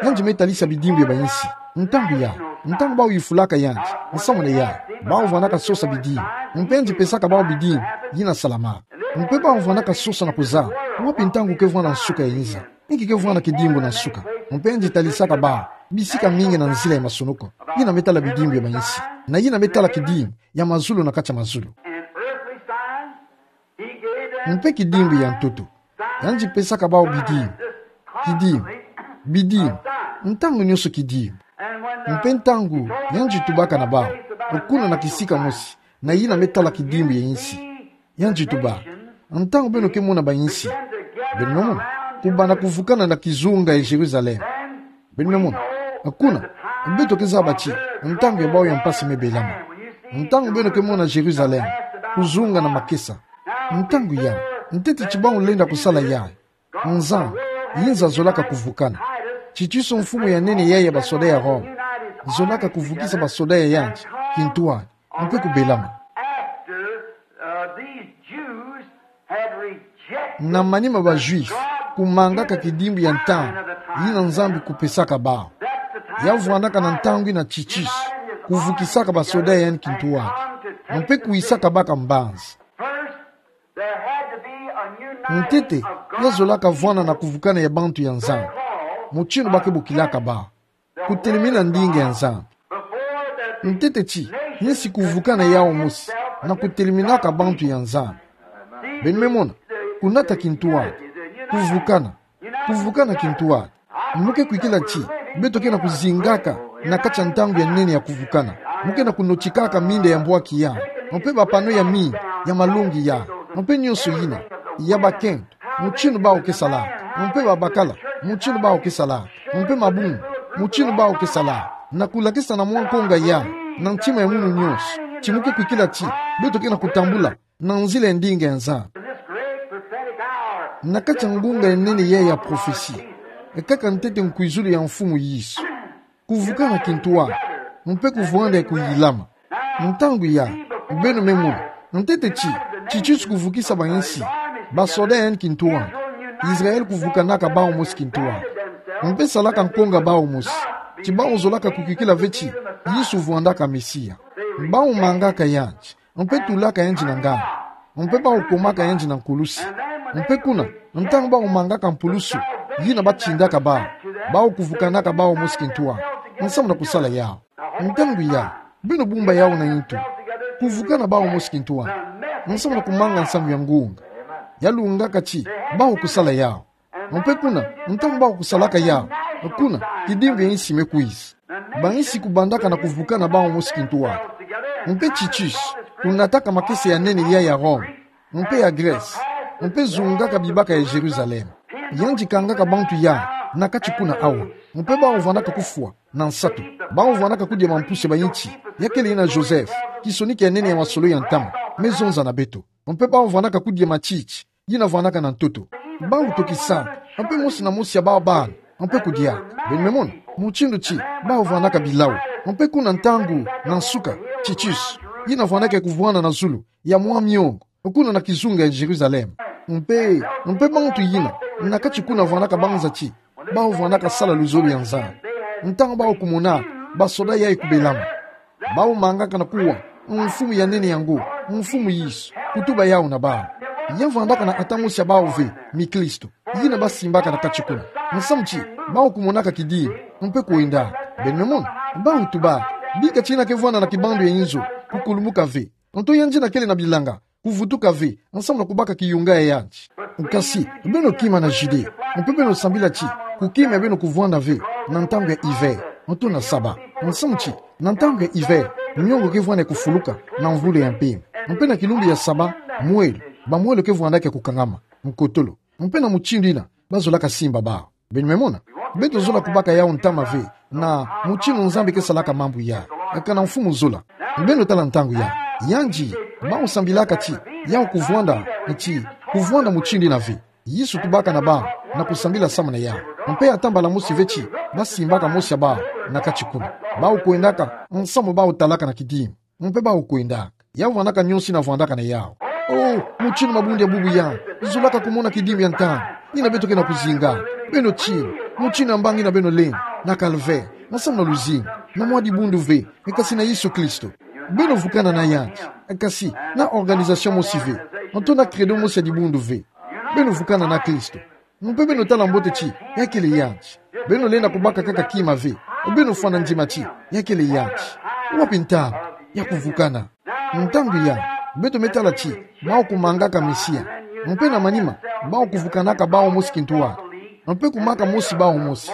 yandi me talisa bidimbu ya bayinsi. Ntangu yayi, ntangu bawu yifulaka yandi, nsamu na yawu, bawu vwandaka sosa bidimbu. Mpe yandi pesaka bawu bidimbu yina salamaka. Mpe bawu vwandaka sosa na kuzaba: Wapi ntangu ke vwanda nsuka ya inza? Inki ke vwanda kidimbu na nsuka? Mpe yandi talisaka bawu bisika mingi na nzila ya masonoko, yina me tala bidimbu ya bayinsi, na yina me tala kidimbu ya mazulu na kati ya mazulu. Mpe kidimbu ya ntoto, yandi pesaka bawu bidimbu, kidimbu, bidimbu, ntangu nionso kidimbu. Mpe ntangu yandi tubaka na bawu, kuna na kisika mosi, na yina me tala kidimbu ya insi, yandi tuba: Ntangu beno ke mona bayinsi, beno me mona, kubanda kuvukana na kizunga ya Yerusalem. Beno me mona, kuna, beto ke zaba ti ntangu ya bawu ya mpasi me belama. Ntangu beno ke mona Yerusalem kuzunga na makesa. Ntangu yayi, ntete ti bawu lenda kusala yayi. Nzambi, yinza zolaka kuvukana. Titus, mfumu ya nene yayi ya basoda ya Rome, zolaka kuvukisa basoda ya yandi kintwadi, mpe kubelama. Na manima ba Juifs kumangaka kidimbu ya ntangu yina Nzambi kupesaka bawu, ya vwandaka na ntangu yina Titus, kuvukisaka basoda ya yandi kintwadi, mpe kuyisaka baka mbanzi. Ntete, ya zolaka vwanda na kuvukana ya bantu ya Nzambi, mutindu ba ke bokilaka bawu, kutelemina ndinga ya Nzambi. Ntete ti yinsi kuvukana yawu mosi na kuteleminaka bantu ya Nzambi. Beno me mona, kunata kintwadi, kuvukana, kuvukana kintwadi. Mu ke kwikila ti beto ke na kuzingaka na kati ya ntangu ya nene ya kuvukana. Mu ke na kunotikaka minda ya mbwaki yandi, mpe ba panneaux ya mingi ya malongi yandi, mpe nionso yina, ya bakento, mutindu bawu ke salaka, mpe babakala, mutindu bawu ke salaka, mpe mabundu, mutindu bawu ke salaka, na kulakisa na mwa nkonga yandi, na ntima ya munu nionso, ti mu ke kwikila ti beto ke na kutambula na nzila ya ndinga ya Nzambi. Na kati ya ngunga ya nene yayi ya profesi, ekaka ntete nkwizulu ya Mfumu Yesu, kuvukana kintwadi, mpe kuvwanda ya kuyilama. Ntangu yayi, beno me mona, ntete ti Titus kuvukisa bayinsi, basoda ya yandi kintwadi, Israel kuvukanaka bawu mosi kintwadi, mpe salaka nkonga bawu mosi, ti bawu zolaka kukwikila ve ti Yesu vwandaka Mesia. Bawu mangaka yandi, mpe tulaka yandi na nganda, mpe bawu komaka yandi na nkulusi. Mpe kuna, ntangu bawu mangaka mpulusu yina ba tindaka bawu, bawu kuvukanaka bawu mosi kintwadi, nsamu na kusala yawu. Ntangu yayi, beno bumba yawu na yintu, kuvukana bawu mosi kintwadi, nsamu na kumanga nsangu ya ngunga, ya lungaka ti bawu kusala yawu. Mpe kuna, ntangu bawu kusalaka yawu, kuna, kidimbu ya insi me kwiza. Bayinsi kubandaka na kuvukana bawu mosi kintwadi. Mpe Titus kunataka makesa ya nene yayi ya Rome, mpe ya Grèce, mpe zungaka bibaka ya Jérusalem. Yandi kangaka bantu yandi na kati kuna awa, mpe bawu vwandaka kufwa na nsatu. Bawu vwandaka kudia mampusi ya bayinti, ya kele yina Joseph, kisoniki ya nene ya masolo ya ntama, me zonza na beto. Mpe bawu vwandaka kudia matiti yina vwandaka na ntoto. Bawu tokisaka, mpe mosi na mosi ya bawu bana, mpe kudia. Beno me mona mutindu ti bawu vwandaka bilau. Mpe kuna, ntangu na nsuka, Titus, yina vwandaka ya kuvwanda na zulu ya mwa miongo, kuna na kizunga ya Jérusalem. Mpe, mpe bantu yina na kati kuna vwandaka banza ti bawu vwandaka sala luzolo ya Nzambi. Ntangu bawu kumona, basoda yayi kubelama. Bawu mangaka na kuwa, Mfumu ya nene yango, Mfumu Yesu, kutuba yawu na bawu. Ya vandaka na ata mosi ya bawu ve, mikristo, yina basimbaka na kati kuna. Nsamu ti, bawu kumonaka kidimbu, mpe kwendaka. Beno me mona, bawu tuba, bika ti yina kevwanda na kibandu ya inzo, kukulumuka ve. Nto yandi na kele na bilanga, kuvutuka ve, nsamu na kubaka kiyunga ya yandi. Kasi, beno kima na Judée, mpe beno sambila ti, kukima ya beno kuvwanda ve, na ntangu ya hiver, nto na Saba. Nsamu ti, na ntangu ya hiver, miongo kevwanda ya kufuluka, na mvula ya mpemba. Mpe na kilumbu ya Saba, mwelo, bamwelo kevwandaka ya kukangama, nkotolo. Mpe na mutindu yina, bazolaka simba bawu. Beno me mona, beto zola kubaka yawu ntama ve, na mutinu Nzambi kesalaka mambu yayi, eka na mfumu zola. Beno tala ntangu yayi, yandi, bawu sambilaka ti, yawu kuvwanda, ti, kuvwanda mutinu yina ve. Yesu tubaka na bawu, na kusambila samu na yawu. Mpe ata mbala mosi ve ti, basimbaka mosi ya bawu, na kati kuna. Bawu kwendaka, nsamu bawu talaka na kidimbu. Mpe bawu kwendaka. Ya vandaka nionso yina vandaka na yawu. Oh, mutinu mabundu ya bubu ya. Zolaka kumona kidimbu ya ntangu. Yina beto ke na kuzinga. Beno tini. Mutinu ya mbangi yina beno lenda. Na calvaire. Nsamu na luzingu. Na mwa dibundu ve. Eka si na Yesu Kristo. Beno vukana na yandi. Eka si na organisation mosi ve. Nto na credo mosi ya dibundu ve. Beno vukana na Kristo. Mpe beno tala mbote ti, ya kele yandi. Beno lenda kubaka kaka kima ve. Beno fwana ndima ti, ya kele yandi. Wapi ntangu, ya kuvukana. Ntangu ya, beto me tala ti, bawu kumangaka Mesia. Mpe na manima, bawu kuvukanaka bawu mosi kintwari. Mpe kumaka mosi bawu mosi.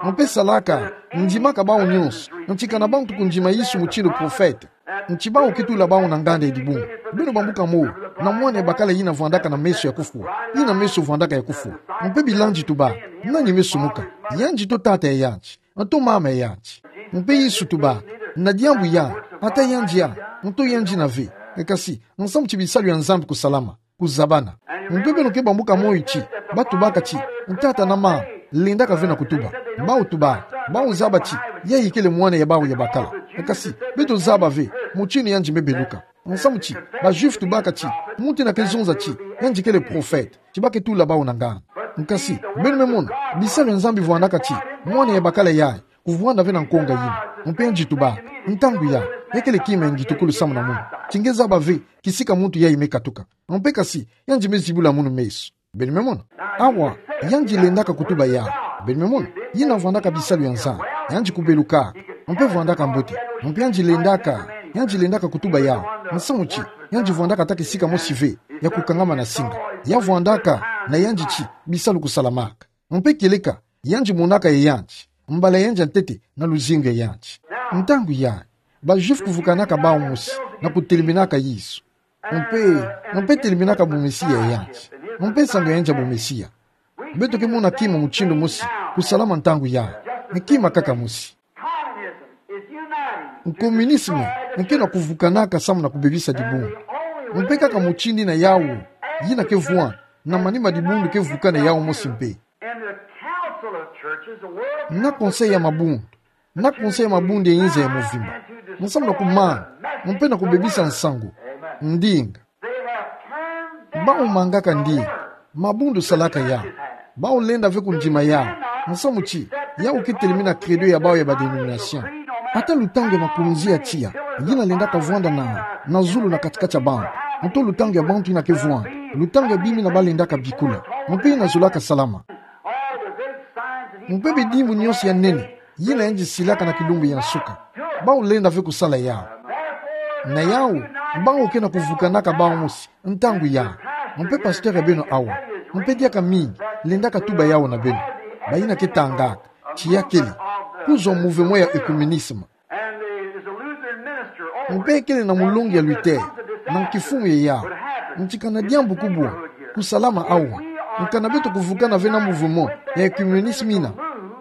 Mpe salaka, ndimaka bawu nionso. Nti kana bantu kundima Yesu mutinu profeta. Nti bawu ke tula bawu na nganda ya dibungu. Beno bambuka mo, na mwana ya bakala yina vandaka na meso ya kufwa. Yina meso vandaka ya kufwa. Mpe bilandi tuba, nani me sumuka? Yandi to tata ya yandi. Nto mama ya yandi. Mpe Yesu tuba, na diambu ya, ata yandi ya, nto yandi yina ve. Eka si, nsamu ti bisalu ya Nzambi kusalama. Kuzabana. Mpe beno ke bambuka moyo ti, batubaka ti, tata na mama, lendaka ve na kutuba. Bawu tuba, bawu zaba ti, yayi kele mwana ya bawu ya bakala. Eka si, beto zaba ve, mutinu yandi me beluka. Nsamu ti, ba Juifs tubaka ti, muntu yina ke zonza ti, yandi kele profeta, ti ba ke tula bawu na nganda. Eka si, beno me mona, bisalu ya Nzambi vandaka ti, mwana ya bakala yayi, kuvwanda ve na nkonga yina. Mpe yandi tuba, ntangu ya, ya kele kima ya ngitukulu samu na munu. Ti nge zaba ve, kisika muntu yayi me katuka. Mpe eka si, yandi me zibula munu meso. Beno me mona. Awa, yandi lendaka kutuba yawu. Beno me mona. Yina vandaka bisalu ya Nzambi. Yandi kubelukaka. Mpe vandaka mbote. Mpe yandi lendaka. Yandi lendaka kutuba yawu. Nsamu ti, yandi vandaka ata kisika mosi ve. Ya kukangama na singa. Ya vandaka, na yandi ti, bisalu kusalamaka. Mpe kieleka, yandi monaka ya yandi, mbala ya yandi ya ntete na luzingu ya yandi. Ntangu yayi, ba Juifs kuvukanaka bawu mosi, na kuteleminaka Yesu. Mpe, mpe teleminaka bumesia ya yandi. Mpe nsangu ya yandi ya bumesia. Beto ke mona kima mutinu mosi, kusalama ntangu yayi. Ni kima kaka mosi. Communisme, nke na kuvukanaka samu na kubebisa dibundu. Mpe kaka mutinu yina yawu, yina ke vwanda, na manima dibundu ke vukana yawu mosi mpe. Na conseil ya mabundu. Na conseil ya mabundu ya inza ya mvimba. Nsamu na kumanga, mpe na kubebisa nsangu. Ndinga. Bawu mangaka ndinga. Mabundu salaka yawu. Bawu lenda ve kundima yawu. Nsamu ti, yawu ke telemina credo ya bawu ya ba dénomination. Ata lutangu ya makunzi ya tiya, yina lendaka vwanda na, na zulu na kati-kati ya bantu. Nto lutangu ya bantu yina ke vwanda. Lutangu ya bima yina ba lendaka bikula. Mpe yina zolaka salama. Mpe bidimbu nionso ya nene, yina yandi silaka na kilumbu ya nsuka. Bawu lenda ve kusala yawu. Na yawu, bawu ke na kuvukanaka bawu mosi, ntangu yayi. Mpe pasteur ya beno awa. Mpe diaka mingi, lendaka tuba yawu na beno. Bayina ke tangaka, ti ya kele. Kuzwa mouvement ya œcuménisme. Mpe kele na mulongi ya Luther, na nkifumu ya yawu. Nti kana diambu kubwa, kusalama awa. Nkana beto kuvukana ve na mouvement ya œcuménisme yina.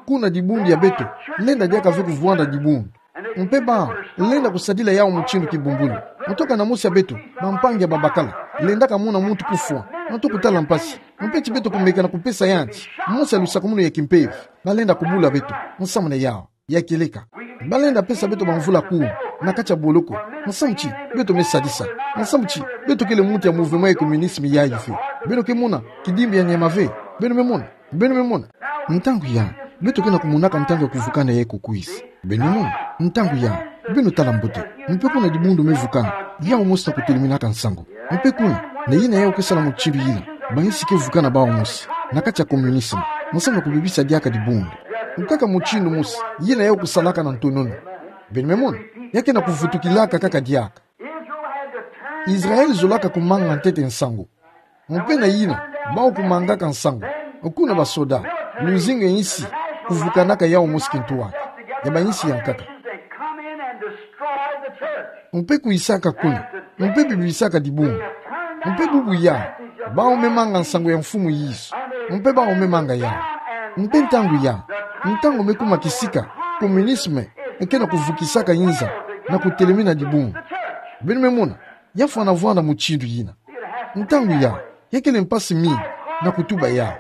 Kuna dibundu ya beto, lenda diaka ve kuvwanda dibundu. Mpe bawu, lenda kusadila yawu mutinu kibumbulu. Nto kana mosi ya beto, bampangi ya babakala. Lendaka mona muntu kufwa, nto kutala mpasi. Mpe ti beto kumeka na kupesa yandi, mosi ya lusakumunu ya kimpeve. Balenda kubula beto, nsamu na yawu. Ya kieleka. Balenda pesa beto bamvula kumi, na kati ya boloko. Nsamu ti, beto me sadisa. Nsamu ti, beto kele muntu ya mouvement ya œcuménisme yayi ve. Beno ke mona, kidimbu ya nyama ve. Beno me mona, beno me mona. Ntangu yayi, beto ke na kumonaka ntangu ya kuvukana yayi kukwiza. Beno mona, ntangu ya, beno tala mbote, mpe kuna dibundu me vukana, yau mosi na kuteleminaka nsangu. Mpe kuna, na yina yau kesala mutindu yina, bainsi ke vukana bawu mosi, na kati ya communisme, nsamu na kubebisa diaka dibundu. Nkaka mutindu mosi, yina yau kusalaka na ntonono. Beno me mona, ya ke na kuvutukilaka kaka diaka. Israel zolaka kumanga ntete nsangu. Mpe na yina, bawu kumangaka nsangu. Kuna basoda, luzingu ya insi, kuvukanaka yau mosi kintwari. Ya bainsi ya nkaka. Mpe kwisaka kuna. Mpe bibisaka dibundu. Mpe bubu ya, bawu me manga nsangu ya Mfumu Yesu. Mpe bawu me manga yau. Mpe ntangu ya, ntangu me kuma kisika, communisme, ke na kuvukisaka inza, na kutelemina dibundu. Beno me mona, ya fwana vwanda mutindu yina. Ntangu ya, ya kele mpasi mingi, na kutuba ya.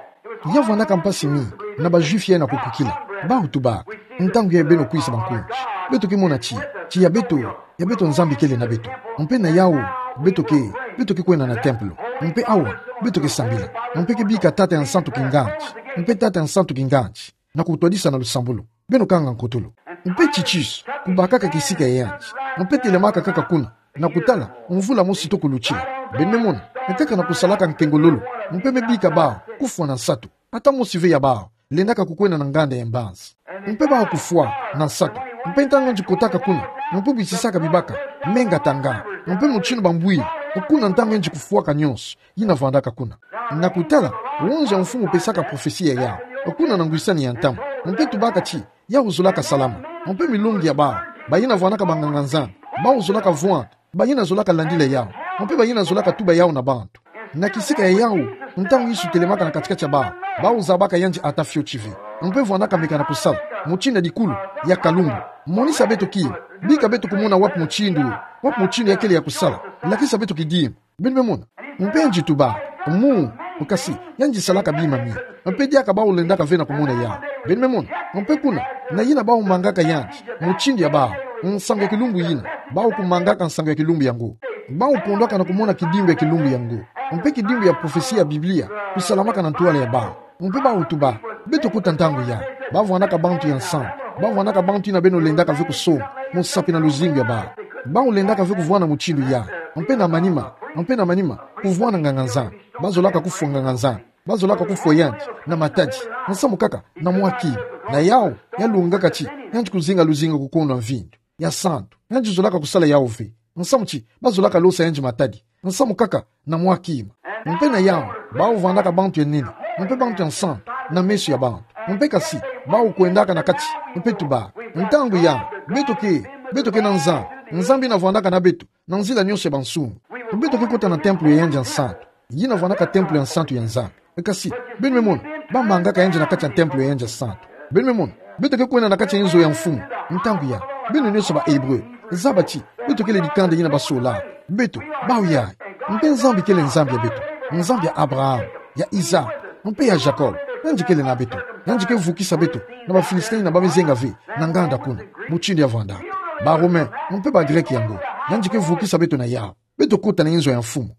Ya vwandaka mpasi mingi, na ba Juifs ya na kukukila. Bawu tubaka, ntangu ya beno kwisa bankunzi. Beto ke mona ti, ti ya beto, ya beto Nzambi kele na beto. Mpe na yau, beto ke, beto ke kwenda na templo. Mpe awa, beto ke sambila. Mpe ke bika Tata ya Nsantu Kinganzi. Mpe Tata ya Nsantu Kinganzi. Na kutwadisa na lusambulu. Beno kanga nkotolo. Mpe Titus, kubakaka kisika ya yanzi. Mpe telemaka kaka kuna. Na kutala, mvula mosi toko lutila. Beno me mona, nkaka na kusalaka nkengololo. Mpe me bika bawu, kufwa na nsatu. Ata mosi ve ya bawu, lendaka kukwenda na nganda ya mbanzi. Mpe bawu kufwa, na nsatu. Mpe ntangu yandi kotaka kuna, mpe bwisisaka bibaka, menga tanga. Mpe mutindu bambwiri, kuna ntangu yandi kufwaka nionso. Yina vwandaka kuna. Na kutala, wonza ya Mfumu pesaka profesi ya yau. Kuna na ngwisani ya ntamu. Mpe tubaka ti, yau zolaka salama. Mpe milongi ya bawu. Bayina vwandaka banganga-Nzambi. Bawu zolaka vwanda. Bayina zolaka landila yau. Mpe bayina zolaka tuba yau na bantu. Na kisika ya yau, ntangu Yesu telemaka na kati-kati ya bawu. Bawu zabaka yandi ata fioti ve. Mpe vwandaka meka na kusala. Mutindu ya dikulu, ya kalumbu. Monisa beto ki. Bika beto kumona wapi mutindu. Wapi mutindu ya kele ya kusala. Lakisa beto kidimbu. Beno me mona. Mpe yandi tuba, mu, kasi, yandi salaka bima mingi. Mpe diaka bawu lendaka ve na kumona yau. Beno me mona. Mpe kuna, na yina bawu mangaka yandi, mutindu ya bawu, nsangu ya kilumbu yina, bawu kumangaka nsangu ya kilumbu yango. Bawu kondwaka na kumona kidimbu ya kilumbu yango. Mpe kidimbu ya profesi ya Biblia, kusalamaka na ntwala ya bawu. Mpe bawu tuba, beto kota ntangu ya, bawu vwandaka bantu ya nsantu, bawu vwandaka bantu yina beno lendaka ve kusonga, musapi na luzingu ya bawu. Bawu lendaka ve kuvwanda mutindu ya, mpe na manima, mpe na manima, kuvwanda nganga-Nzambi, bawu zolaka kufwa nganga-Nzambi, bawu zolaka kufwa yandi, na matadi, nsamu kaka, na mwa kima, na yau, ya longaka ti, yandi kuzinga luzingu ya kukondwa mvindu, ya santu, yandi zolaka kusala yau ve. Nsamu ti, bawu zolaka losa yandi matadi. Nsamu kaka, na mwa kima. Mpe na yau, bawu vwandaka bantu ya nene. Mpe bantu ya nsantu, na meso ya bantu. Mpe kasi, bawu kwendaka na kati. Mpe tuba. Ntangu ya, beto ke, beto ke na Nzambi. Nzambi yina vwandaka na beto, na nzila nionso ya bansunga. Beto ke kota na templo ya yandi ya nsantu. Yina vwandaka templo ya nsantu ya Nzambi. Kasi, beno me mona, bamangaka yandi na kati ya templo ya yandi ya santu. Beno me mona, beto ke kwenda na kati ya inzo ya mfumu. Ntangu ya, beno nionso ba Hébreu. Zaba ti, beto kele dikanda yina basola. Beto, bawu ya. Mpe Nzambi kele Nzambi ya beto. Nzambi ya Abraham, ya Isaac, mpe ya Jacob. Yandi kele na beto. Yandi ke vukisa beto. Na ba Philistin yina ba me zenga ve. Na nganda kuna. Mutindu ya vwandaka. Ba Romain, mpe ba Grec yango. Yandi ke vukisa beto na yau. Beto kota na inzo ya mfumu.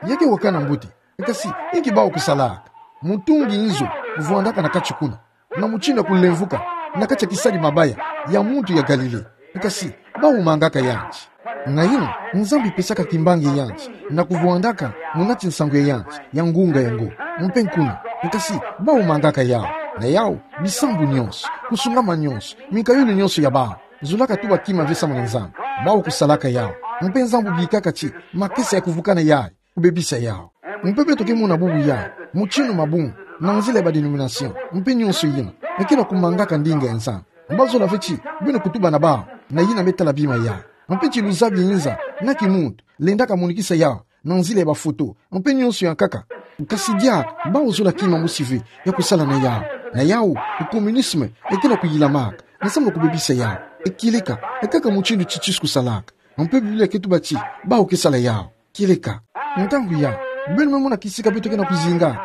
Ya ke wakana mbote. Kasi, inki bawu kusalaka? Mutungi inzo, vwandaka na kati kuna. Na mutindu ya kulemvuka, na kati ya kisadi mabaya, ya muntu ya Galilée. Kasi, bawu mangaka yandi. Na yina, Nzambi pesaka kimbangi yandi, na kuvwandaka, munati nsangu ya yandi, ya ngunga yango. Mpe kuna. Kasi, bawu mangaka yau. Na yau, bisambu nionso, kusungama nionso, minkayulu nionso ya bawu. Zolaka tuba kima ve samu na Nzambi. Bawu kusalaka yau. Mpe Nzambi bikaka ti, makesa ya kuvukana yai, kubebisa yau. Mpe beto ke mona bubu yai, mutindu mabungu, na nzila ya ba dénomination, mpe nionso yina, ke na kumangaka ndinga ya Nzambi. Bazola ve ti, beno kutuba na bawu, na yina me tala bima yai. Mpe ti luzabi inza, na kimuntu, lendaka monikisa yau, na nzila ya ba photo, mpe nionso ya nkaka. Kasi diaka, bawu zola kima mosi ve, ya kusala na yau. Na yau, communisme, ke na kuyilamaka, na samu na kubebisa yau. Kieleka, kaka mutindu Titus kusalaka. Mpe Biblia ke tuba ti, bawu ke sala yau. Kieleka. Ntangu ya, beno me mona kisika beto ke na kuzinga.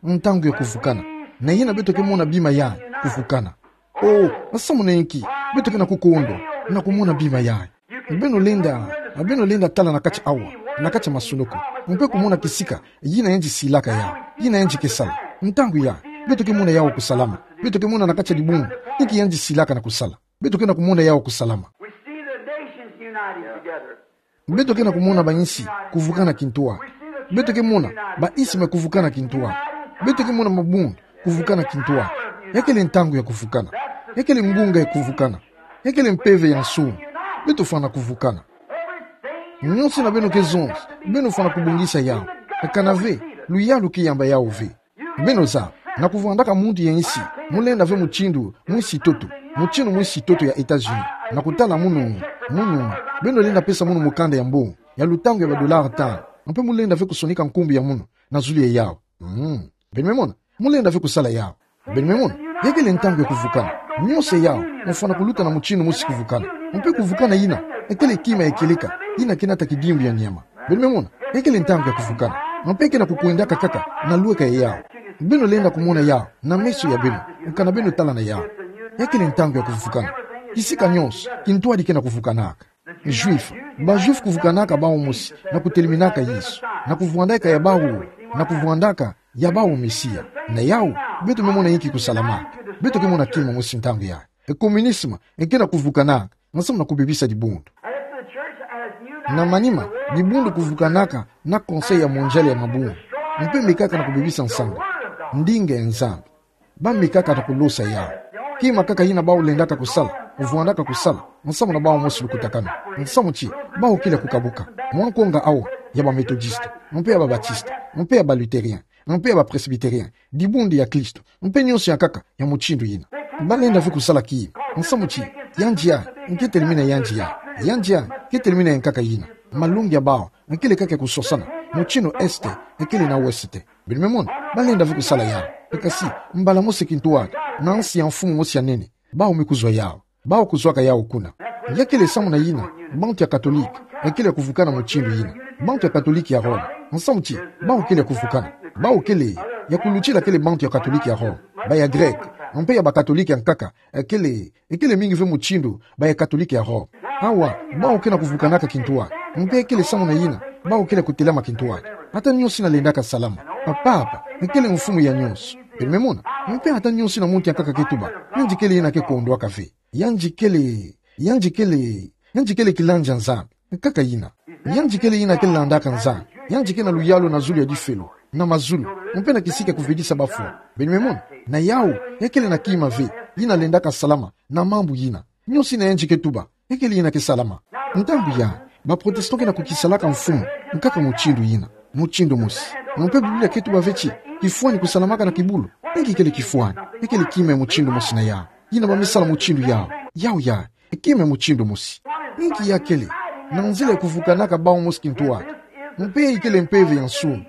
Ntangu ya kuvukana. Na yina beto ke mona bima yai, kuvukana. Oh, na samu na inki, beto ke na kukondwa, na kumona bima yai. Beno lenda, beno lenda tala na kati awa, na kati ya masonoko. Mpe kumona kisika, yina yandi silaka yau, yina yandi ke sala. Ntangu ya, beto ke mona yau kusalama. Beto ke mona na kati ya dibundu, inki yandi silaka na kusala. Beto ke na kumona yawu kusalama. We see the nations uniting together. Beto ke na kumona ba-insi kuvukana kintua. Beto ke mona ba-isme kuvukana kintua. Beto ke mona mabundu kuvukana kintua. Ya kele ntangu ya kuvukana. Ya kele ngunga ya kuvukana. Ya kele mpeve ya nsu. Beto fana kuvukana. Nyonso yina beno ke zonza, beno fana kubongisa yawu. Kana ve luyalu ke yamba yawu ve. Beno zaba, na kuvwandaka muntu ya insi, mu lenda ve mutindu mwisi ntoto, mutindu mwisi ntoto ya États-Unis. Na kutala munu, munu, beno lenda pesa munu mukanda ya mbongo ya lutangu ya ba dollars tanu, mpe mu lenda ve kusonika nkumbu ya munu na zulu ya yawu. Mm. Beno me mona, mu lenda ve kusala yawu. Beno me mona, ya kele ntangu ya kuvukana. Nyonso yawu, mu fana kuluta na mutindu mwisi kuvukana. Mpe kuvukana yina, ya kele kima ya kieleka, yina ke nata kidimbu ya nyama. Beno me mona, ya kele ntangu ya kuvukana. Mpe ke na kukwendaka kaka na lweka ya yawu. Beno lenda kumona yawu na meso ya beno, kana beno tala na yawu. Ya kele ntangu ya kuvukana. Kisika nyonso, kintwadi ke na kuvukanaka. Juifs, ba-Juifs kuvukanaka bawu mosi, na kuteleminaka Yesu, na kuvwandaka ya bawu, na kuvwandaka ya bawu Mesia. Na yawu, beto me mona inki kusalamaka. Beto ke mona kima mosi ntangu yayi. E communisme, e ke na kuvukanaka, nsamu na kubebisa dibundu. Na manima, dibundu kuvukanaka na Conseil ya Mondial ya mabundu. Mpe mekaka na kubebisa nsangu. Ndinga ya Nzambi. Ba mekaka na kulosa yawu. Kima kaka yina bawu lendaka kusala, kuvwandaka kusala, nsamu na bawu mosi lukutakanu. Nsamu ti, bawu kele kukabuka mwa nkonga awa, ya ba-Méthodistes, mpe ya ba-Baptistes, mpe ya ba-Luthériens, mpe ya ba-Presbytériens, dibundu ya Kristo, mpe nyonso ya nkaka ya mutindu yina. Ba lenda ve kusala kima. Nsamu ti, yandi yayi, ke telemena yandi yayi. Yandi yayi, ke telemena ya nkaka yina. Malongi ya bawu, e kele kaka ya kusosana. Mutindu Est, e kele na Ouest. Beno me mona, ba lenda ve kusala yawu. Kasi, mbala mosi kintwadi, na nsi ya mfumu mosi ya nene, bawu me kuzwa yawu. Bawu kuzwaka yawu kuna. Ya kele samu na yina, bantu ya Katolike, e kele ya kuvukana mutindu yina. Bantu ya Katolike ya Roma, nsamu ti, bawu kele ya kuvukana. Bawu kele, ya kulutila kele bantu ya Katolike ya Roma. Ba ya Grek, mpe ya ba-Katolike ya nkaka, e kele, e kele mingi ve mutindu, ba ya Katolike ya Roma. Awa, bawu ke na kuvukanaka kintwadi. Mpe e kele samu na yina, bawu kele kutelama kintwadi. Ata nyonso yina lendaka salama. Papa, e kele mfumu ya nyonso. Beno me mona, mpe ata nyonso yina muntu ya nkaka ke tuba, yandi kele yina ke kondwaka ve. Yandi kele, yandi kele, yandi kele kilandi ya Nzambi. Nkaka yina. Yandi kele yina ke landaka Nzambi. Yandi ke na luyalu na zulu ya difelo, na mazulu, mpe na kisika kuvedisa bafwa. Beno me mona, na yawu, ya kele na kima ve, yina lendaka salama, na mambu yina. Nyonso yina yandi ke tuba, e kele yina ke salama. Ntangu yayi, ba-Protestant ke na kukisalaka mfumu, nkaka mutindu yina, mutindu mosi. Mpe Biblia ke tuba ve ti, kifwani kusalamaka na kibulu. Inki kele kifwani? E kele kima ya mutindu mosi na yawu. Yina ba me sala mutindu yawu. Yawu yayi, e kima ya mutindu mosi. Inki ya kele, na nzila ya kuvukanaka bawu mosi kintwadi. Mpe i kele mpeve ya nsungi.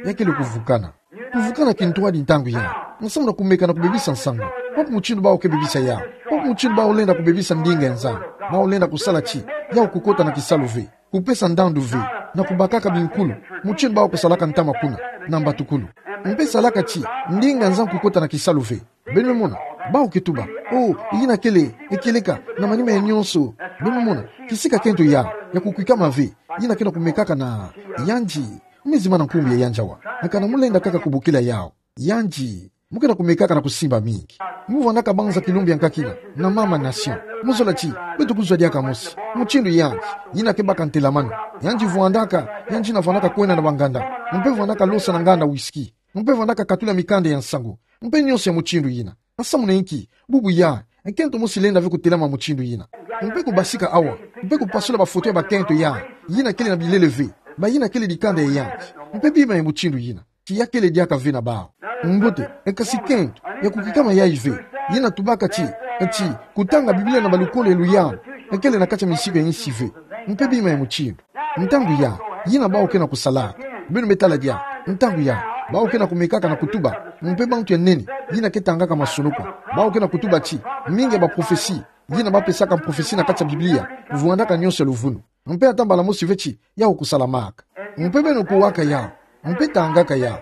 Ya kele kuvukana. Kuvukana kintwadi ntangu yayi, nsamu na kumeka na kubebisa nsangu. Wapi mutindu bawu ke bebisa yawu? Wapi mutindu bawu lenda kubebisa ndinga ya Nzambi? Bawu lenda kusala ti, yawu kukota na kisalu ve, kupesa ndandu ve, na kubakaka binkulu, mutindu bawu kusalaka ntama kuna, na mbatukulu. Mpe salaka ti, ndinga ya Nzambi kukota na kisalu ve. Beno me mona, bawu ke tuba, oh, yina kele, e kieleka, na manima ya nyonso. Beno me mona, kisika kento yawu, ya kukwikama ve, yina ke na kumekaka na, yandi, mu me zimana nkumbu ya yandi awa. Kana mu lenda kaka kubokila yawu. Yandi, mu ke na kumekaka na kusimba mingi. Mu vwandaka banza kilumbu ya nkakina, na mama nation. Mu zola ti, beto kuzwa diaka mosi. Mutindu yandi, yina ke baka ntelamano. Yandi vwandaka, yandi na vwandaka kwenda na banganda. Mpe vwandaka losa na nganda whisky. Mpe vwandaka katula mikanda ya nsangu. Mpe nyonso ya mutindu yina. Nsamu na inki, bubu yayi, e kento mosi lenda ve kutelama mutindu yina. Mpe kubasika awa, mpe kupasula bafoto ya bakento yayi, yina kele na bilele ve, bayina kele dikanda ya yandi. Mpe bima ya mutindu yina, ti ya kele diaka ve na bawu. Mbote, e kasi kento, ya kukwikama yayi ve, yina tubaka ti, ti, kutanga Biblia na balukolo ya luyambu, e kele na kati ya misiku ya insi ve. Mpe bima ya mutindu. Ntangu yayi, yina bawu ke na kusalaka. Beno me tala diaka, ntangu yayi, bawu ke na kumekaka na kutuba, mpe bantu ya nene, yina ke tangaka masonoko. Bawu ke na kutuba ti, mingi ya baprofesi, yina ba pesaka mprofesi na kati ya Biblia, vwandaka nyonso ya luvunu. Mpe ata mbala mosi ve ti, yawu kusalamaka. Mpe beno kuwaka yawu, mpe tangaka yawu.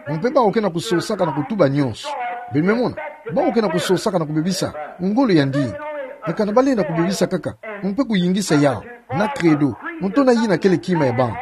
Mpe bawu ke na kusosaka na kutuba nyonso. Beno me mona, bawu ke na kusosaka na kubebisa ngolo ya ndinga. Kana ba lenda kubebisa kaka, mpe kuyingisa yawu, na credo, mutona yina kele kima ya bantu.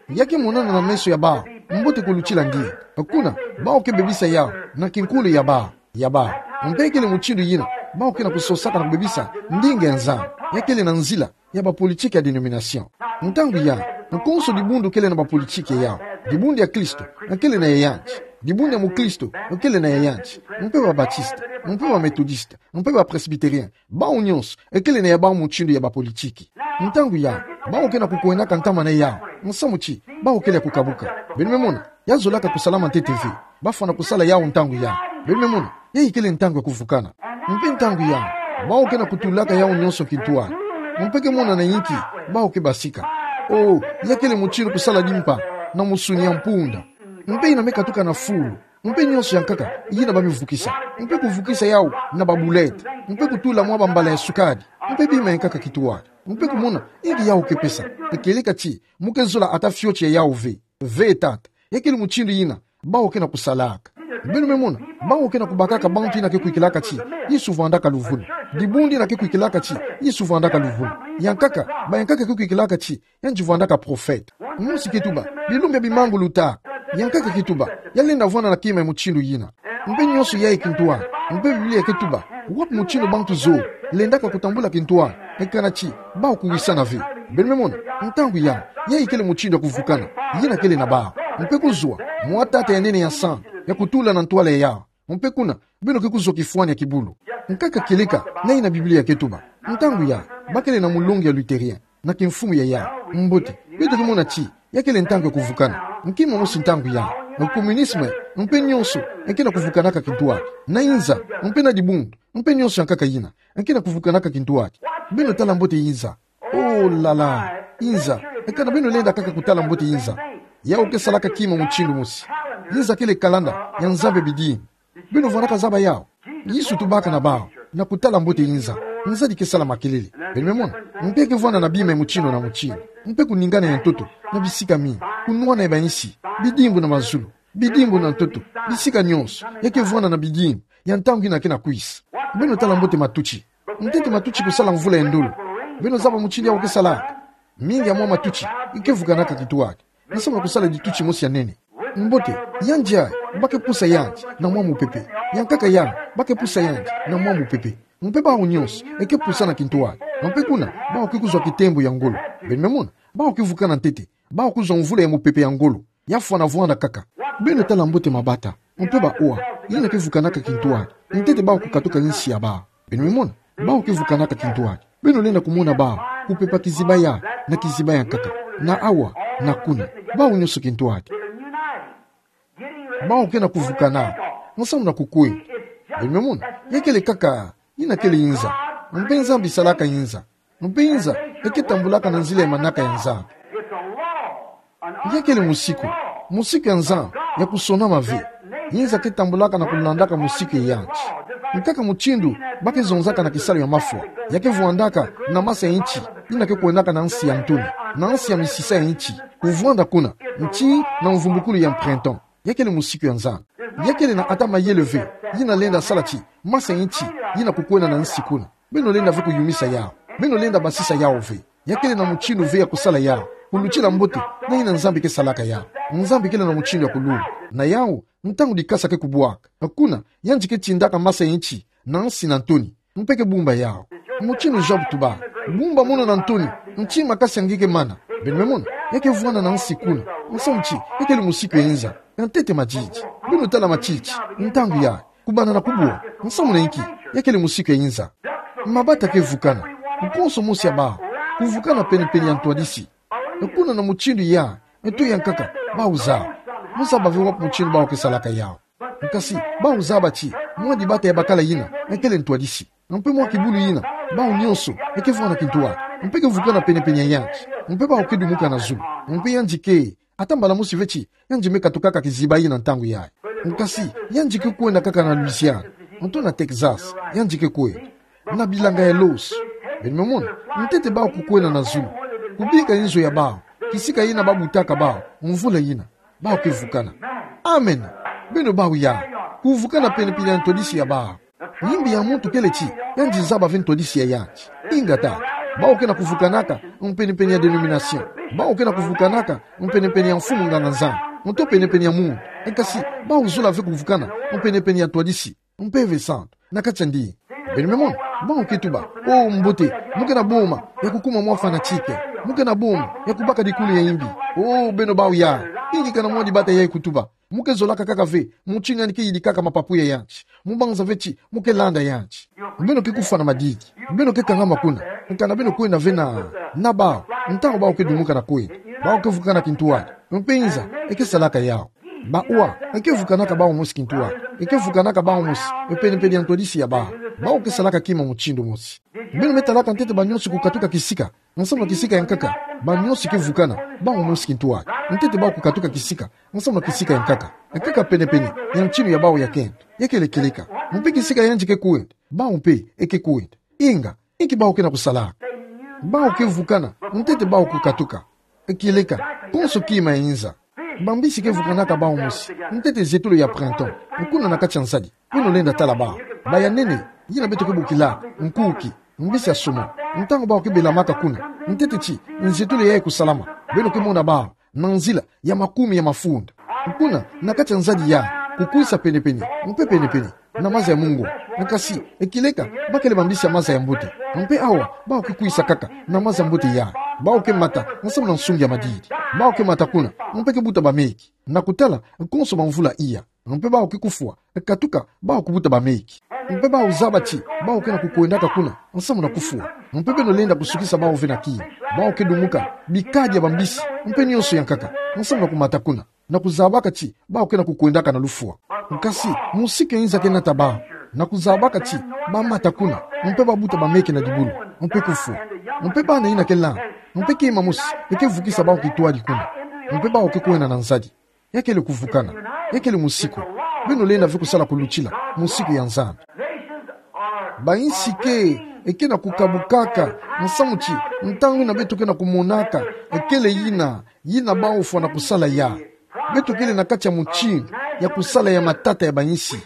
Ya ke monana na meso ya bawu, mbote kulutila ndinga. Kuna, bawu ke bebisa yawu, na kinkulu ya bawu, ya bawu. Mpe kele mutindu yina, Bau ke na kusosaka na kubebisa ndinga ya nzan, ya kele na nzila ya bapolitiki ya denomination. Ntangu ya, nkonso dibundu kele na bapolitiki ya yau. Dibundu ya Kristo, kele na ya yanti. Dibundu ya mukristo, kele na ya yanti. Mpe babatista, mpe bametodista, mpe bapresbiterien. Bau nyonso, kele na ya bau mutindu ya bapolitiki. Ntangu ya, bau ke na kukwenaka ntama na yau. Nsamu ti, bau kele ya kukabuka. Beno me mona, ya zolaka kusalama ntete ve. Bafwana kusala yau ntangu ya. Beno me mona, ya ikele ntangu ya kuvukana. Mpe ntangu ya, bau ke na kutulaka yau nyonso kintwadi. Mpe ke mona na inki, bau ke basika. O, ya kele mutindu kusala dimpa, na musuni ya mpunda. Mpe ina me katuka na fulu. Mpe nyonso ya nkaka, yina ba me vukisa. Mpe kuvukisa yau na babulete. Mpe kutula mwa bambala ya sukadi. Mpe bima ya nkaka kintwadi. Mpe kumona, inki yau ke pesa. Ekeleka ti, mu ke zola ata fioti ya yau ve. Ve tata. Ya kele mutindu yina, bau ke na kusalaka. Beno me mona, bau ke na kubakaka bantu yina ke kwikilaka ti, Yesu vwandaka luvunu. Dibundu yina ke kwikilaka ti, Yesu vwandaka luvunu. Ya nkaka, ba ya nkaka ke kwikilaka ti, yandi vwandaka profeta. Mosi ke tuba, bilumbu bia bimanguluta. Ya nkaka ke tuba, ya lenda vwanda na kima ya mutindu yina. Mpe nyonso ya ikintwadi. Mpe Biblia ke tuba, wapi mutindu bantu zo, lendaka kutambula kintwadi. Ekana ti, bau kuwisana ve. Beno me mona, ntangu ya, ya ikele mutindu ya kuvukana. Yina kele na bau. Mpe kuzwa, mwa tata ya nene ya nsandu, ya kutula na ntwala ya yau. Mpe kuna, beno ke kuzwa kifwani ya kibulu. Nkaka keleka, na yina Biblia ke tuba. Ntangu ya, ba kele na mulongi ya Lutherien, na kimfumu ya yau. Mbote, beto ke mona ti, ya kele ntangu ya kuvukana. Nki mosi ntangu ya, na communisme, mpe nyonso, ke na kuvukanaka kintwadi. Na inza, mpe na dibundu, mpe nyonso ya nkaka yina, ke na kuvukanaka kintwadi. Beno tala mbote inza. Oh la la, inza. Ekana beno lenda kaka kutala mbote inza. Yau ke salaka kima mutindu mosi. Inza kele kalanda ya nzambi bidimbu. Beno vwandaka zaba yau. Yesu tubaka na bau, na kutala mbote inza. Nzadi ke sala makelele. Beno me mona, mpe ke vwanda na bima ya mutindu na mutindu. Mpe kuningana ya ntoto, na bisika mingi. Kunwana ya bansi, bidimbu na mazulu. Bidimbu na ntoto, bisika nyonso, ya ke vwanda na bidimbu ya ntangu yina ke na kwisa. Beno tala mbote matuti. Ntete matuti kusala mvula ya ndolo. Beno zaba mutindu yau ke salaka. Mingi ya mwa matuti, ke vukanaka kintwadi. Nsamu na kusala dituti mosi ya nene. Mbote, yandi ya, ba ke pusa yandi, na mwa mupepe. Ya nkaka yandi, ba ke pusa yandi, na mwa mupepe. Mpe bau nyonso, ke pusa na kintwadi. Mpe kuna, bau ke kuzwa kitembo ya ngolo. Beno me mona, bau ke vukana ntete, bau kuzwa mvula ya mupepe ya ngolo. Ya fwana vwanda kaka. Beno tala mbote mabata. Mpe ba oa. Yina ke vukanaka kintwadi. Ntete bau kukatuka nsi ya bau. Beno me mona. Bau ke vukanaka kintwadi. Beno lenda kumona bau. Kupepa kiziba ya. Na kiziba ya nkaka. Na awa. Na kuna. Bau nyonso kintwadi. Bau ke na kuvukana. Nsamu na kukwe. Beno me mona. Ya kele kaka. Yina kele inza. Mpe Nzambi salaka inza. Mpe inza, ke tambulaka na nzila ya manaka ya Nzambi. Ya kele musiku, musiku ya Nzambi, ya kusonama ve. Inza ke tambulaka na kulandaka musiku ya yandi. Nkaka mutindu, ba ke zonzaka na kisalu ya mafwa. Ya ke vwandaka, na masa ya nti, yina ke kwendaka na nsi ya ntoni, na nsi ya misisa ya nti. Kuvwanda kuna, nti na mvumbukulu ya printemps. Ya kele musiku ya Nzambi. Ya kele na ata mayele ve, yina lenda sala ti, masa ya nti, yina kukwenda na nsi kuna. Beno lenda ve kuyumisa yau. Beno lenda basisa yau ve. Ya kele na mutindu ve ya kusala yau. Kulutila mbote, na yina Nzambi ke salaka yau. Nzambi kele na mutindu ya kulumbu. Na yau, ntangu dikasa ke kubwaka. Kuna, yandi ke tindaka masa ya nti, na nsi na ntoni. Mpe ke bumba yau. Mutindu Job tuba. Bumba mono na ntoni, nti makasi ya nge ke mana. Beno me mona, ya ke vwanda na nsi kuna. Nsamu ti, ya kele musiku ya inza. Ya ntete madidi. Beno tala matiti. Ntangu ya. Kubanda na kubwa. Nsamu na inki. Ya kele musiku ya inza. Mabata ke vukana. Nkonso mosi ya bau. Kuvukana penepene ya ntwadisi. Kuna na mutindu ya. Nto ya nkaka. Bau zaba. Mu zaba ve wapi mutindu bau ke salaka yau. Nkasi, bau zaba ti. Mwa dibata ya bakala yina. Kele ntwadisi. Mpe mwa kibulu yina. Bau nyonso. Ke vwanda kintwadi. Mpe ke vukana penepene ya yandi. Mpe bau ke dumuka na zulu. Mpe yandi ke. Ata mbala mosi ve ti, yandi me katukaka kiziba yina ntangu yayi. Nkasi, yandi ke kwenda kaka na Louisiane, nto na Texas, yandi ke kwenda. Na bilanga ya losi. Beno me mona, ntete bau kukwenda na zulu. Kubika inzo ya bau, kisika yina ba butaka bau, mvula yina, bau ke vukana. Amen. Beno bau ya, kuvukana penepene ya ntwadisi ya bau. Yimbi ya muntu kele ti, yandi zaba ve ntwadisi ya yandi. Ingeta, bau ke na kuvukanaka, mpenepene ya denomination. Bau ke na kuvukanaka, mpenepene ya mfumu nganga Nzambi. Nto penepene ya muntu. Nkasi, bau zola ve kuvukana, mpenepene ya ntwadisi. Mpeve santu. Na kati ya ndi. Beno me mona, bawu ke tuba: O mbote, mo ke na boma ya kukuma mwa fanatique. Mo ke na boma ya kubaka dikulu ya imbi. O beno bawu ya, ingi kana mwa dibata yayi kutuba. Mo ke zolaka kaka ve motini yandi ke yidikaka mapapu ya yanti. Mo banza ve ti mo ke landa yanti. Beno ke kufwa na madidi. Beno ke kangama kuna. Kana beno kwenda ve na, na bawu, ntangu bawu ke dumuka na kwenda, bawu ke vukana kintwadi. Mpe nza e ke salaka yawu. Bawu e ke vukanaka bawu mosi kintwadi. E ke vukanaka bawu mosi, e penepene ya ntwadisi ya bawu. Bawu ke salaka kima motindo mosi. Beno me talaka ntete banyonso kukatuka kisika, nsamu na kisika ya nkaka. Banyonso ke vukana, bawu mosi kintwadi. Ntete bawu kukatuka kisika, nsamu na kisika ya nkaka. Nkaka penepene ya ntinu ya bawu ya kento. Ya kele kieleka. Mpe kisika yandi ke kwenda, bawu mpe e ke kwenda. Inga, inki bawu ke na kusalaka? Bawu ke vukana, ntete bawu kukatuka. Kieleka, konso kima ya nza. Bambisi ke vukanaka bawu mosi, ntete zetolo ya printemps. Kuna na kati ya nzadi, beno lenda tala bawu. Bayanene, yina beto ke bokilaka nkuki, mbisi ya somo. Ntangu bawu ke belamaka kuna, ntete ti nzetolo yayi kusalama, beno ke mona bawu na nzila ya makumi ya mafunda. Kuna na kati ya nzadi ya, kukwisa penepene, mpe penepene na maza ya mungu. Nkasi, kieleka, bakele bambisi ya maza ya mbote. Mpe awa, bawu ke kwisa kaka na maza ya mbote ya. Bawu ke mata nsamu na nsungi ya madidi. Bawu ke mata kuna, mpe ke buta bameki. Na kutala, konso bamvula iya. Mpe bawu ke kufwa, katuka, bawu kubuta bameki. Mpe bawu zaba ti bawu ke na kukwendaka kuna nsamu na kufwa. Mpe beno lenda kusukisa bawu ve na kima. Bawu ke dumuka bikadi ya bambisi, mpe nionso ya nkaka, nsamu na kumata kuna, na kuzabaka ti bawu ke na kukwendaka na lufwa. Nkasi, mosiki ya nza ke nata bawu, na kuzabaka ti bamata kuna, mpe babuta bameki na dibulu, mpe kufwa. Mpe bana yina ke landa, mpe kima mosi e ke vukisa bawu kintwadi kuna. Mpe bawu ke kwenda na nzadi. Ya kele kuvukana. Ya kele mosiku. Beno lenda ve kusala kulutila mosiku ya Nzambi. Bayinsi ke, e ke na kukabukaka, nsamu ti ntangu yina beto ke na kumonaka e kele yina, yina bawu fwana kusala yayi. Beto kele na kati ya motinu ya kusala ya matata ya bayinsi.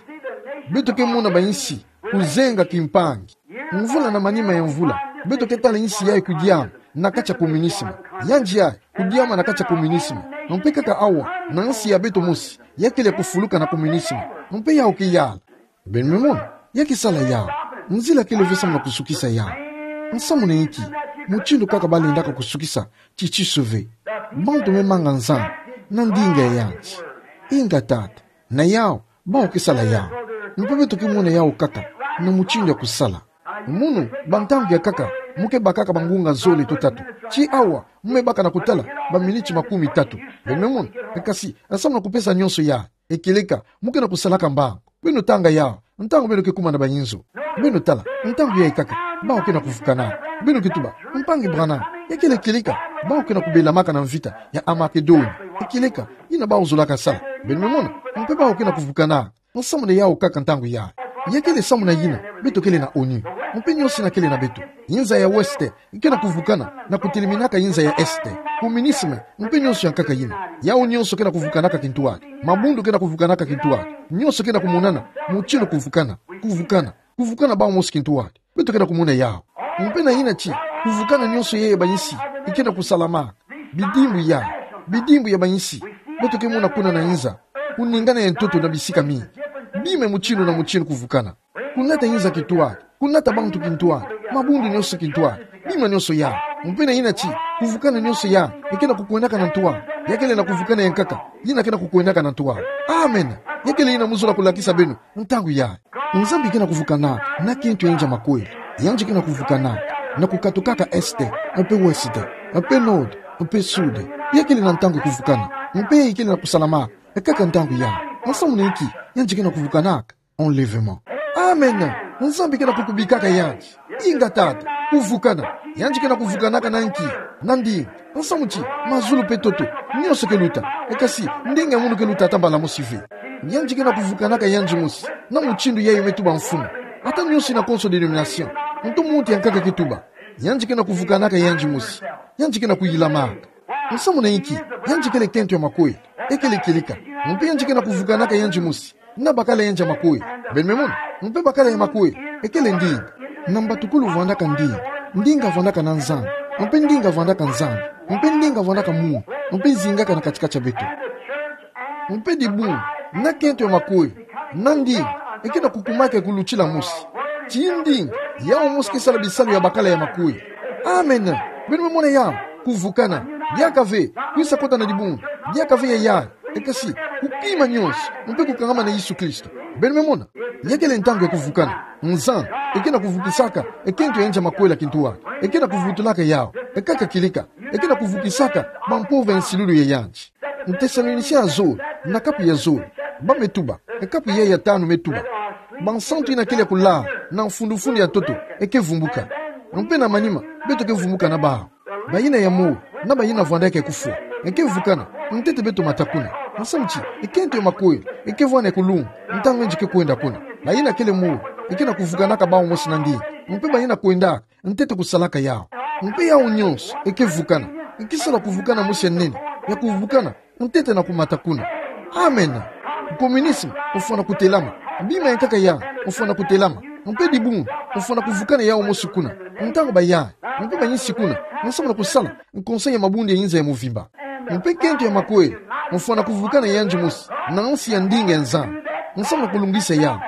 Beto ke mona bayinsi kuzenga kimpangi. Mvula na manima ya mvula, beto ke tala yinsi yayi kudiama na kati ya communisme. Yandi yayi kudiama na kati ya communisme. Mpe kaka awa, na yinsi ya beto mosi, ya kele kufuluka na communisme. Mpe yawu ke yala. Beno me mona, ya ke sala yawu. Nzila kele ve samu na kusukisa yawu. Nsamu na inki? Motindo kaka balendaka kusukisa titiso ve. Bantu me manga Nzambi na ndinga ya yandi. Inga tata. Na yawu, bawu ke sala yawu. Mpe beto ke mona yawu kaka na motindo ya kusala. Munu, bantangu ya nkaka, mo ke bakaka bangunga zole to tatu. Ti awa, mo me baka na kutala baminiti makumi tatu. Beno me mona, nkasi, samu na kupesa nionso yayi, kieleka, mo ke na kusalaka mbangu. Beno tanga yawu, ntangu beno ke kuma na bayinzo. Beno tala, ntangu yayi kaka, bawu ke na kuvukana. Beno ke tuba: Mpangi Branham, ya kele kieleka, bawu ke na kubelamaka na mvita ya Amakedonia. Kieleka, yina bawu zolaka sala. Beno me mona, mpe bawu ke na kuvukana. Nsamu na yawu kaka ntangu yayi. Ya kele samu na yina beto kele na ONU. Mpe nionso yina kele na beto. Yinza ya Ouest ke na kuvukana na kuteleminaka yinza ya Est. Communisme, mpe nionso ya nkaka yina. Yawu nionso ke na kuvukanaka kintwadi. Mabundu ke na kuvukanaka kintwadi. Nionso ke na kumonana motindo kuvukana. Kuvukana. Kuvukana bawu mosi kintwadi. Beto ke na kumona yawu. Mpe na yina ti kuvukana nionso yayi ya bayinsi ke na kusalamaka. Bidimbu ya, bidimbu ya bayinsi. Beto ke mona kuna na yinza kuningana ya ntoto na bisika mingi. Bima motindo na motindo kuvukana. Kunata yinza kintwadi. Kunata bantu kintwadi. Mabundu nionso kintwadi. Bima nionso yawu. Mpe na yina ti kuvukana nionso yayi ke na kukwendaka na ntwala. Ya kele na kuvukana ya nkaka, yina ke na kukwendaka na ntwala. Amen. Ya kele yina mo zola kulakisa beno ntangu yayi. Nzambi ke na kuvukana na kento ya yandi ya makweli. Yandi ke na kuvukana na kukatukaka Est, mpe Ouest, mpe Nord, mpe Sud. Ya kele na ntangu ya kuvukana. Mpe ya kele na kusalama kaka ntangu yayi. Nsamu na inki? Yandi ke na kuvukanaka enlèvement. Amen. Nzambi ke na kukubikaka yandi. Inga tata, kuvukana. Yandi ke na kuvukanaka na nki? Na ndinga. Nsamu ti mazulu mpe ntoto, nionso ke luta. Nkasi ndinga ya munu ke luta ata mbala mosi ve. Yandi ke na kuvukanaka yandi mosi na motindo yayi me tuba mfunu. Ata nionso yina konso dénomination, nto muntu ya nkaka ke tuba, yandi ke na kuvukanaka yandi mosi. Yandi ke na kuyilamaka. Nsamu na inki? Yandi kele kento ya makweli. Ya kele kieleka. Mpe yandi ke na kuvukanaka yandi mosi na bakala yandi ya makweli. Beno me mona, mpe bakala ya makweli e kele ndinga. Na mbatukulu vandaka ndinga. Ndinga vandaka na Nzambi. Mpe ndinga vandaka Nzambi. Mpe ndinga vandaka munu. Mpe zingaka na kati-kati ya beto. Mpe dibundu na kento ya makweli na ndinga e ke na kukumaka ya kulutila mosi. Ti ndinga, yau mosi ke sala bisalu ya bakala ya makue. Amen. Beno me mona yau, kuvukana. Diaka ve, kwisa kota na dibundu. Diaka ve ya yai. Ekasi, kukima nyonso, mpe kukangama na Yesu Kristo. Beno me mona. Ya kele ntangu ya kuvukana. Nzambi, eke na kuvukisaka, ekento ya nza makuela kintua. Eke na kuvutulaka yau. Ekaka kilika. Eke na kuvukisaka, bampovo ya nsilulu ya yandi. Ntesalonisien ya zole, na kapu ya zole. Ba me tuba, e kapu ya ya tanu me tuba. Bansantu ina kele kulala, na mfundu mfundu ya ntoto, eke vumbuka. Mpe na manima, beto ke vumbuka na bau. Bayina ya mole, na bayina vwandaka kufwa. Eke vukana, ntete beto mata kuna. Nsamu ti, ekento ya makuela, eke vwana kulunga, ntangu nge ke kwenda kuna. Bayina kele mole, eke na kuvukanaka bau mosi na ndinga. Mpe bayina kwendaka, ntete kusalaka yau. Mpe yau nyonso, eke vukana. Eke sala kuvukana mosi ya nene, ya kuvukana, ntete na kumata kuna. Amen. Communisme, ofwana kutelama. Bima ya nkaka ya, ofwana kutelama. Mpe dibundu, ofwana kuvukana yau mosi kuna. Ntangu bayai, mpe bayinsi kuna. Nsamu na kusala, nkonsa ya mabundu ya inza ya mvimba. Mpe kento ya makuela, ofwana kuvukana yandi mosi, na nsi ya ndinga ya Nzambi. Nsamu na kulungisa yau.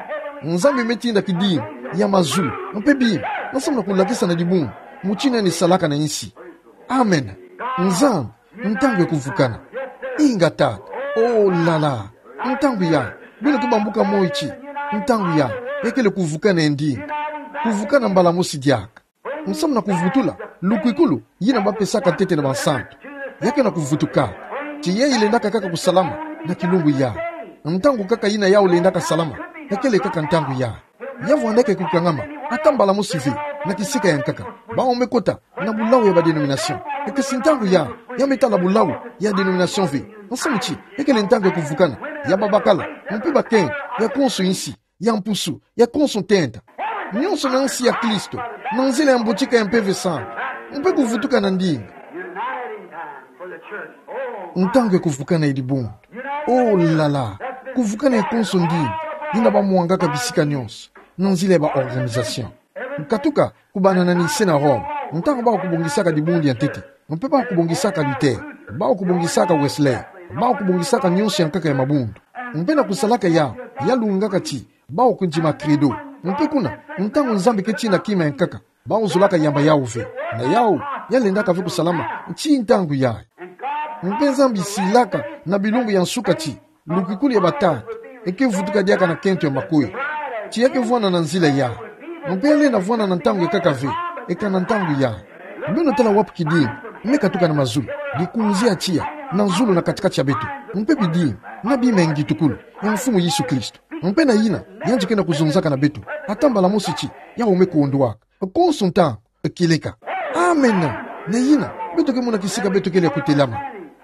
Nzambi me tinda kidimbu, ya mazulu, mpe bima, nsamu na kulakisa na dibundu, mutindu yandi salaka na insi. Amen. Nzambi, ntangu ya kuvukana. Inga tata. Oh la la. Ntangu ya. Beno ke bambuka moi ti. Ntangu ya. Ya kele kuvukana ya ndinga. Kuvukana mbala mosi diaka. Nsamu na kuvutula. Lukwikulu. Yina ba pesaka ntete na bansantu. Ya ke na kuvutuka. Ti ya ilendaka kaka kusalama. Na kilumbu ya. Ntangu kaka yina yau lendaka salama. Ya kele kaka ntangu ya. Ya vwandaka kukangama, ata mbala mosi ve, na kisika ya nkaka. Bau me kota, na bulau ya ba dénomination. Ekesi ntangu ya, ya me tala bulau, ya dénomination ve. Nsamu ti, ya kele ntangu ya kuvukana, ya babakala, mpe bakento, ya konso insi, ya mpusu, ya konso ntenta. Nyonso na nsi ya Kristo, na nzila ya mbotika ya Mpeve Santu. Mpe kuvutuka na ndinga. Ntangu ya kuvukana ya dibundu. Oh la la. Kuvukana ya konso ndinga. Yina ba mwangaka bisika nyonso. Na nzila ya ba organisation. Nkatuka, kubanana ni se na Roma. Ntangu bau kubongisaka dibundu ya ntete. Mpe bau kubongisaka Luther. Bau kubongisaka Wesley. Bau kubongisaka nyonso ya nkaka ya mabundu. Mpe na kusalaka ya, ya lungaka ti. Bau kundima credo. Mpe kuna, ntangu Nzambi ke tina kima ya nkaka. Bau zolaka yamba yau ve. Na yau, ya lendaka ve kusalama, ti ntangu ya. Mpe Nzambi silaka, na bilumbu ya nsuka ti. Lukwikulu ya batata, eke vutuka diaka na kento ya makuela. Ti ya ke vwana na nzila ya. Mpe ya lenda vwana na ntangu ya nkaka ve, eka na ntangu ya. Beno tala wapi kidimbu, me katuka na mazulu, dikunzi ya tiya, na zulu na kati-kati ya beto. Mpe bidimbu, na bima ya ngitukulu, ya Mfumu Yesu Kristo. Mpe na yina, yandi ke na kuzonzaka na beto. Ata mbala mosi ti, yau me kondwaka. Konso ntangu, kieleka. Amen. Na yina, beto ke mona kisika beto kele kutelama.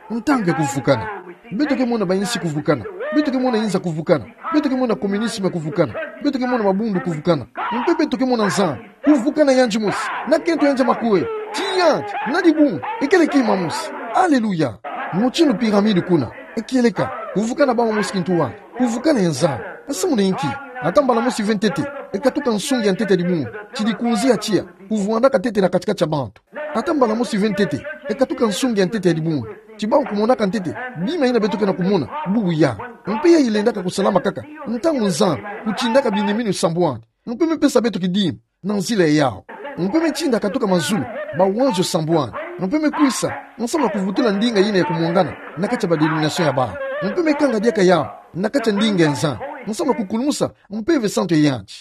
Ntangu ya kuvukana. Beto ke mona bayinsi kuvukana. Beto ke mona inza kuvukana. Beto ke mona communisme kuvukana. Beto ke mona mabundu kuvukana. Mpe beto ke mona Nzambi. Kuvukana yandi mosi. Na kento yandi ya makuela. Ti yandi. Na dibundu. Ekele kima mosi. Alléluia. Mutindu pyramide kuna. Ekieleka. Kuvukana bau mosi kintu wa. Kuvukana ya Nzambi. Nsamu na inki. Ata mbala mosi ve ntete. Ekatuka nsungi ya ntete ya dibundu. Ti dikunzi ya tiya. Kuvwandaka ntete na kati-kati ya bantu. Ata mbala mosi ve ntete. Ekatuka nsungi ya ntete ya dibundu. Ti bau kumonaka ntete. Bima yina beto ke na kumona. Bubu ya. Mpe ya ilendaka kusalama kaka. Ntangu Nzambi. Kutindaka biniminu sambwani. Mpe me pesa beto kidimbu. Na nzila yau. Mpe me tinda katuka mazulu. Bawanzo sambwani. Mpe me kwisa. Nsamu na kuvutula ndinga yina ya kumwangana. Na kati ya ba dénomination ya bau. Mpe me kanga diaka yau. Na kati ya ndinga ya Nzambi. Nsamu na kukulumusa. Mpeve santu ya yandi.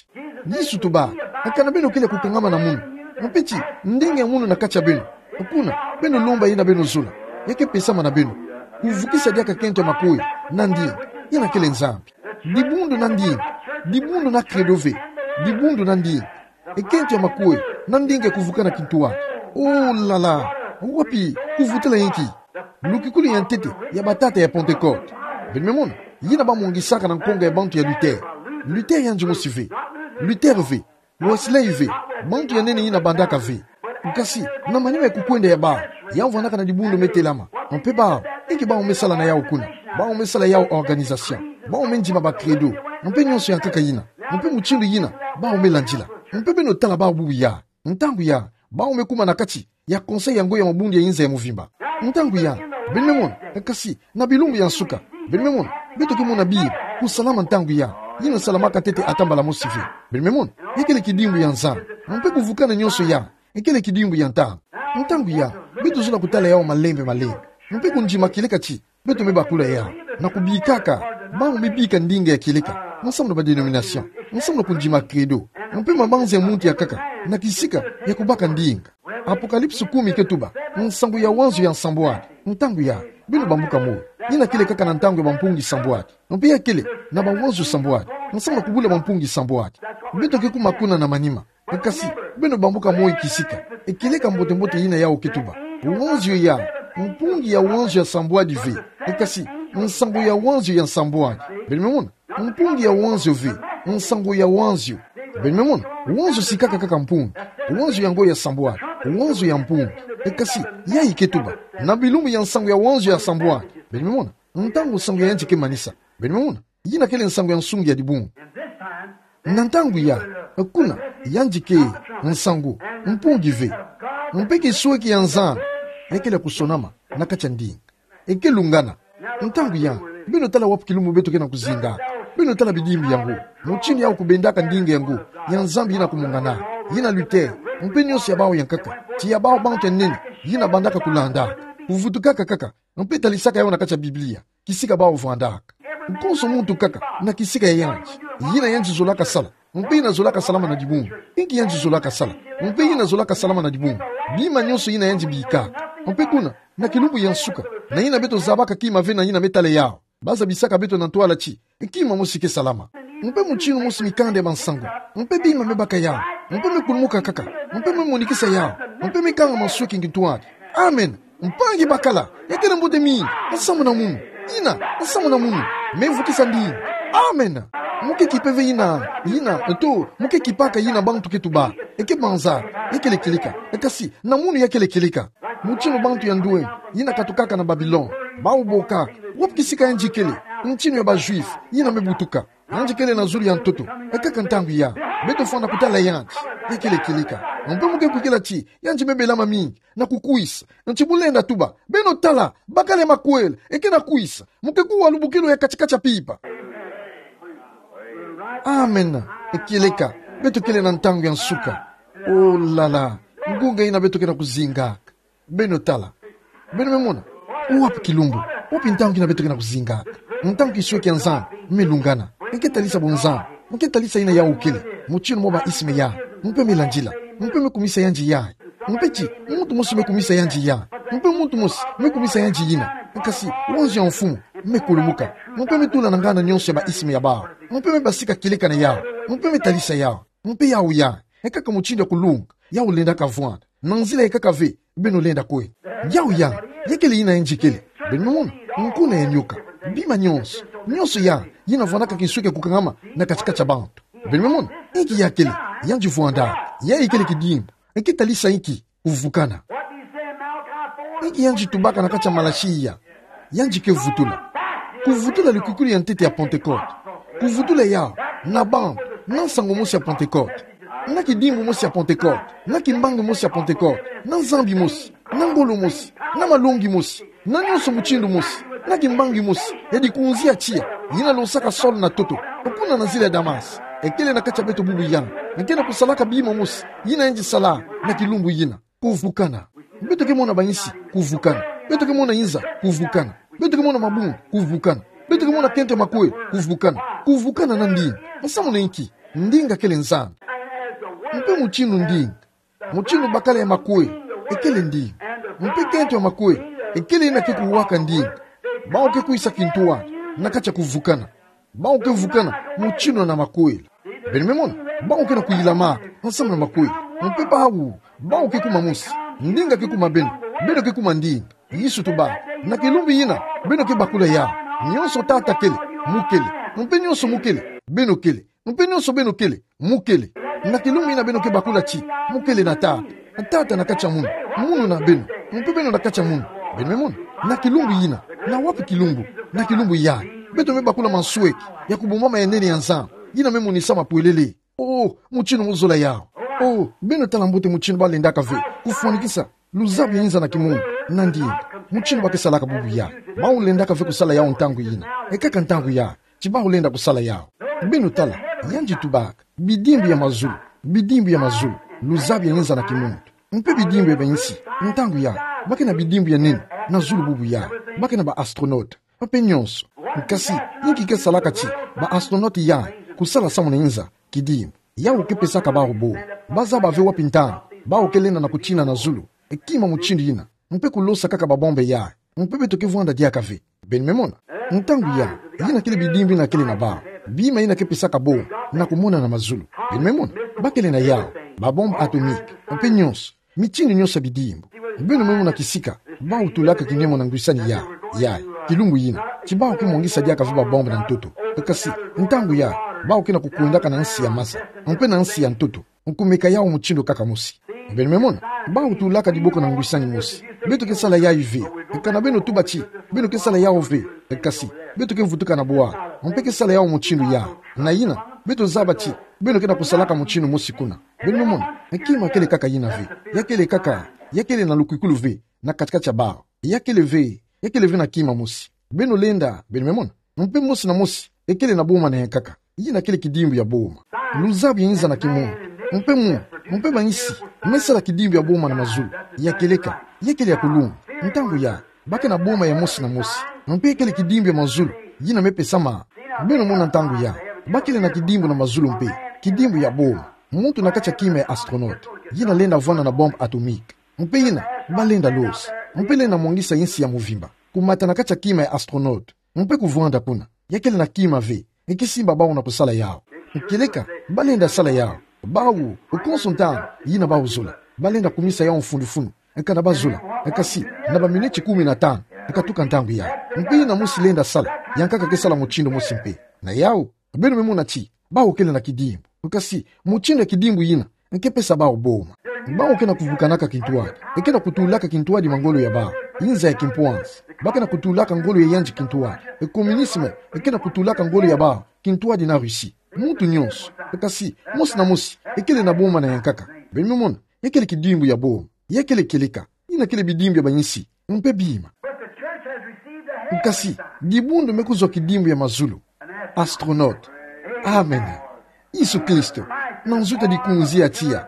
Yesu tuba, akana beno kele kukangama na munu. Mpe ti, ndinga ya munu na kati ya beno. Kuna, beno lomba yina beno zola. Ya ke pesama na beno. Kuvukisa diaka kento ya makuela, na ndinga. Yina kele Nzambi. Dibundu na ndinga. Dibundu na credo ve. Dibundu na ndinga. E kento ya makuela, na ndinga kuvukana kintu wa. Oh la la. Wapi, kuvutula inki. Lukikulu ya ntete, ya batata ya Pentecôte. Beno me mona, yina bamwangisaka na nkonga ya bantu ya Luther. Luther yandi mosi ve. Luther ve. Wesley ve. Bantu ya nene yina bandaka ve. Kasi, na manima ya kukwenda ya bau. Yau vwandaka na dibundu me telama. Mpe bau, inki bau me sala na yau kuna. Bau me sala yau organisation. Bau me ndima ba credo. Mpe nyonso ya nkaka yina. Mpe mutindu yina, bau me landila. Mpe beno tala bau bubu ya. Ntangu ya, bau me kuma na kati. Ya Conseil ya Ngoi ya Mabundu ya Inza ya Mvimba. Ntangu ya, beno me mona, kasi, na bilumbu ya nsuka, beno me mona, beto ke mona bima, kusalama ntangu ya. Yina salamaka ntete ata mbala mosi ve. Beno me mona, ya kele kidimbu ya nzandu. Mpe kuvukana nyonso ya, ekele kidimbu ya ntangu. Ntangu ya, beto zola kutala yawu malembe malembe. Mpe kundima kieleka ti beto me bakula yawu, na kubikaka, bawu me bika ndinga ya kieleka, ensemble na ba dénomination, ensemble na kundima credo, mpe mabanza ya muntu ya nkaka, na kisika ya kubaka ndinga. Apocalypse kumi ke tuba, nsangu ya wanzio ya nsambwadi. Ntangu ya, beno bambuka moyo. Yina kele kaka na ntangu ya bampungi sambwadi. Mpe ya kele, na bawanzio sambwadi. Ensemble na kubula bampungi sambwadi. Beto ke kuma kuna na manima. Kasi, beno bambuka moyo kisika. Ekieleka mbote mbote yina yawu ke tuba. Wanzio ya, mpungi ya wanzio ya sambwadi ve. Kasi, nsangu ya wanzio ya nsambwadi. Beno me mona, mpungi ya wanzio ve, nsangu ya wanzio. Beno me mona, wanzio sikaka kaka mpungi. Wanzio yango ya sambwadi, wanzio ya mpungi. Kasi, yayi ke tuba. Na bilumbu ya nsangu ya wanzio ya sambwadi. Beno me mona, ntangu nsangu ya yandi ke manisa. Beno me mona, yina kele nsangu ya nsungi ya dibungu. Na ntangu ya, kuna, yandi ke, nsangu, mpungi ve. Mpe kisweki ya nzandu, ekele kusonama, na kati ya ndinga. Eke lungana. Ntangu ya, beno tala wapi kilumbu beto ke na kuzinga. Beno tala bidimbu yango. Mutindu yawu kubendaka ndinga yango, ya Nzambi yina kumungana. Yina Luther, mpe nyonso ya bawu ya nkaka. Ti ya bawu bantu ya nene, yina bandaka kulanda. Kuvutukaka kaka, mpe talisaka yawu na kati ya Biblia. Kisika bawu vandaka. Konso muntu kaka, na kisika ya yandi. Yina yandi zolaka sala. Mpe yina zolaka salama na dibungu. Inki yandi zolaka sala. Mpe yina zolaka salama na dibungu. Bima nyonso yina yandi bika. Mpe kuna, na kilumbu ya nsuka. Na yina beto zabaka kima ve na yina me tala yawu. Bazabisaka beto na ntwala ti. Kima mosi ke salama. Mpe mutindu mosi mikanda ya bansangu. Mpe bima me baka yawu. Mpe me kulumuka kaka. Mpe me monikisa yawu. Mpe me kanga mansweki ngi ntwadi. Amen. Mpangi bakala, ya kele mbote mingi, nsamu na munu, yina, nsamu na munu, me vukisa ndinga. Amen. Mu ke kipe ve yina, yina, eto, mu ke kipaka yina bantu ke tuba, eke banza, ya kele kieleka, e kasi, na munu ya kele kieleka. Mutindu bantu ya ndwenga, yina katukaka na Babilone, bawu bokaka, wapi kisika yandi kele, mutindu ya ba Juifs, yina me butuka. Yandi kele na zulu ya ntoto, e kaka ntangu ya, beto fwana kutala yandi, ya kele kieleka. Mpe mu ke kwikila ti, yandi me belama mingi, na kukwisa. Nti bu lenda tuba, beno tala, bakala ya makwela, eke na kwisa, mu ke kuwa lubukilu ya kati-kati ya pipa. Amen. E kieleka, beto kele na ntangu ya nsuka. Oh là là, ngunga yina beto ke na kuzingaka. Beno tala. Beno me mona. Wapi kilumbu. Wapi ntangu yina beto ke na kuzingaka. Ntangu kisweki ya Nzambi me lungana. Nge ke talisa bunzambi. Nge ke talisa yina yawu kele. Mutindu mwa ba isme ya. Mpe me landila. Mpe me kumisa yandi ya. Mpe ti, muntu mosi me kumisa yandi ya. Mpe muntu mosi, me kumisa yandi yina. Kasi, wanzio ya mfumu, me kulumuka. Mpe me tula na ngana nyonso ya ba isme ya bawu. Mpe me basika kieleka na yawu. Mpe me talisa yawu. Mpe yawu ya. E kaka mutindu ya kulunga. Yawu lenda kavwanda. Na nzila e kaka ve, beno lenda kwe. Yawu ya, ya kele yina yandi kele. Beno me mona, nkuna ya nyoka. Bima nyonso. Nyonso ya, yina vwandaka kinsweki ya kukangama, na kati-kati ya bantu. Beno me mona, inki ya kele, yandi vwanda, ya kele kidimbu, nge ke talisa inki, kuvukana. Inki yandi tubaka na kati ya Malaki ya, yandi ke vutula. Kuvutula lukwikilu ya ntete ya Pentecote. Kuvutula yawu, na bantu, na nsangu mosi ya Pentecote. Na kidimbu mosi ya Pentecote. Na kimbangi mosi ya Pentecote. Na Nzambi mosi. Na ngolo mosi. Na malongi mosi. Na nyonso mutindu mosi. Na kimbangi mosi. Ya dikunzi ya tiya. Yina losaka Saul na ntoto. Kuna na nzila ya Damas. E kele na kati ya beto bubu yandi. Nge ke na kusalaka bima mosi. Yina yandi sala. Na kilumbu yina. Kuvukana. Beto ke mona bayinsi, kuvukana. Beto ke mona yinza, kuvukana. Beto ke mona mabungu, kuvukana. Beto ke mona kento ya makwela, kuvukana. Kuvukana na ndinga. Nsamu na inki, ndinga kele nzandu. Mpe mutindu ndinga. Mutindu bakala ya makwela, e kele ndinga. Mpe kento ya makwela, e kele yina ke kuwaka ndinga. Bawu ke kwisa kintwadi, na kati ya kuvukana. Bawu ke vukana, mutindu na makwela. Beno me mona, bawu ke na kuyilama, nsamu na makwela. Mpe bawu, bawu ke kuma mosi. Ndinga ke kuma beno, beno ke kuma ndinga. Yesu tuba, na kilumbu yina, beno ke bakula yawu. Nyonso Tata kele, mu kele. Mpe nyonso mu kele, beno kele. Mpe nyonso beno kele, mu kele. Na kilumbu yina beno ke bakula ti, mu kele na Tata. Tata na kati ya munu, munu na beno, mpe beno na kati ya munu. Beno me mona, na kilumbu yina, na wapi kilumbu, na kilumbu ya. Beto me bakula mansweki, ya kubumbama ya nene ya Nzambi, yina me monisa mapwelele. Oh, mutindu mu zola yawu. Oh, beno tala mbote mutindu ba lendaka ve, kufwanikisa, luzabu ya yinza na kimwini, na ndinga, mutindu ba ke salaka bubu ya. Bawu lendaka ve kusala yawu ntangu yina. E kaka ntangu ya, ti bawu lenda kusala yawu. Beno tala, yandi tubaka, bidimbu ya mazulu, bidimbu ya mazulu, luzabi ya inza na kimuntu, mpe bidimbu ya ba nsi. Ntangu ya, bakena bidimbu ya nene na zulu bubu ya, bakena ba astronaute, mpe nyonso. Kasi, inki ke salaka ti ba astronaute ya kusala samu na inza? Kidimbu. Yau ke pesaka bau boma. Bazaba ve wapi ntangu bau ke lenda na kutina na zulu, e kima mutindu yina, mpe kulosa kaka ba bombe ya, mpe beto ke vwanda diaka ve. Beno me mona? Ntangu ya, yina kele bidimbu yina kele na bau. Bima yina ke pesaka boma na kumona na mazulu. Beno me mona? Bakele na yau, ba bombe atomique, mpe nyonso, mitindu nyonso ya bidimbu. Beno me mona kisika bau tulaka kinemo na ngwisani ya, ya kilumbu yina, ti bau ke mwangisa diaka ve ba bombe na ntoto. Kasi, ntangu ya, bau ke na kukwendaka na nsi ya masa, mpe na nsi ya ntoto, nkumeka yau mutindu kaka mosi. Beno me mona? Bau tulaka diboko na ngwisani mosi. Beto ke sala yai ve. Kana beno tuba ti beno ke sala yau ve, kasi beto ke vutuka na bwala, mpe ke sala yau mutindu ya. Na yina, beto zaba ti beno ke na kusalaka mutindu mosi kuna. Beno me mona? Kima kele kaka yina ve. Ya kele kaka, ya kele na lukwikulu ve na kati-kati ya bau. Ya kele ve, ya kele ve na kima mosi. Beno lenda, beno me mona? Mpe mosi na mosi e kele na boma na yankaka. Yina kele kidimbu ya boma. Luzabi ya inza na kimuntu, mpe mu, mpe ba nsi, me sala kidimbu ya boma na mazulu. Ya kieleka, ya kele ya kulunga. Ntangu ya, bakena boma ya mosi na mosi, mpe ya kele kidimbu ya mazulu yina me pesama. Beno mona? Ntangu ya, bakele na kidimbu na mazulu mpe kidimbu ya boma. Muntu na kati ya kima ya astronaute, yina lenda vwanda na bombe atomique. Mpe yina, balenda losa, mpe lenda mwangisa nsi ya muvimba, kumata na kati ya kima ya astronaute, mpe kuvwanda kuna. Ya kele na kima ve, e kisimba bau na kusala yau. Kieleka, balenda sala yau. Bau, konso ntangu yina bau zola, balenda kumisa yau mfundufunu. Kana ba zola, kasi, na ba miniti kumi na tanu, katuka ntangu ya. Mpe yina mosi lenda sala, yankaka ke sala mutindu mosi mpe. Na yau, beno me mona ti bau kele na kidimbu. Kasi, mutindu ya kidimbu yina ke pesa bau boma. Bau ke na kuvukanaka kintwadi. E ke na kutulaka kintwadi mangolo ya bau. Inza ya kimpwanzi. Ba ke na kutulaka ngolo ya yandi kintwadi. E communisme e ke na kutulaka ngolo ya bau kintwadi na Russie. Muntu nyonso. Kasi, mosi na mosi e kele na boma na yankaka. Beno me mona? Ya kele kidimbu ya boma. Ya kele kieleka. Yina kele bidimbu ya ba nsi, mpe bima. But the church has received the heavenly sign. Kasi, dibundu me kuzwa kidimbu ya mazulu. Astronaute. Amen. Yesu Kristo, na nzo ta dikunzi ya tiya.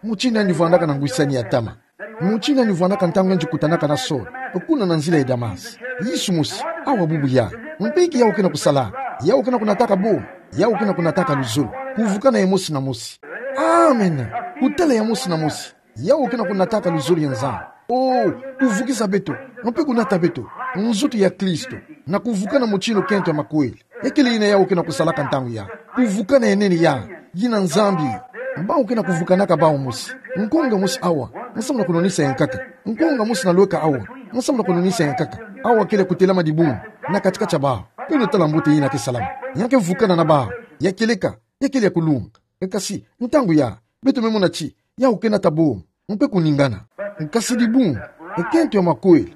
Mutindu yandi vwandaka na ngwisani ya ntama. Mutindu yandi vwandaka ntangu yandi kutanaka na Saul, kuna na nzila ya Damas. Yesu mosi, awa bubu ya. Mpe inki yau ke na kusala? Yau ke na kunataka boma. Yau ke na kunataka luzolo. Kuvukana ye mosi na mosi. Amen. Kutala ye mosi na mosi. Yau ke na kunataka luzolo ya Nzambi. Oh, kuvukisa beto, mpe kunata beto nzoto ya Kristo, na kuvukana mutindu kento ya makwela. Ya kele yina yau ke na kusalaka ntangu ya. Kuvukana ya nene ya, yina Nzambi. Bau ke na kuvukanaka bau mosi. Nkonga mosi awa, nsamu na kunwanisa yankaka. Nkonga mosi na lweka awa, nsamu na kunwanisa yankaka. Awa kele kutelama dibundu na kati-kati ya bau. Beno tala mbote yina ke salama. Ya ke vukana na bau. Ya kieleka, ya kele ya kulunga. Kasi, ntangu ya, beto me mona ti yau ke nata boma, mpe kuningana. Kasi dibundu, e kento ya makwela,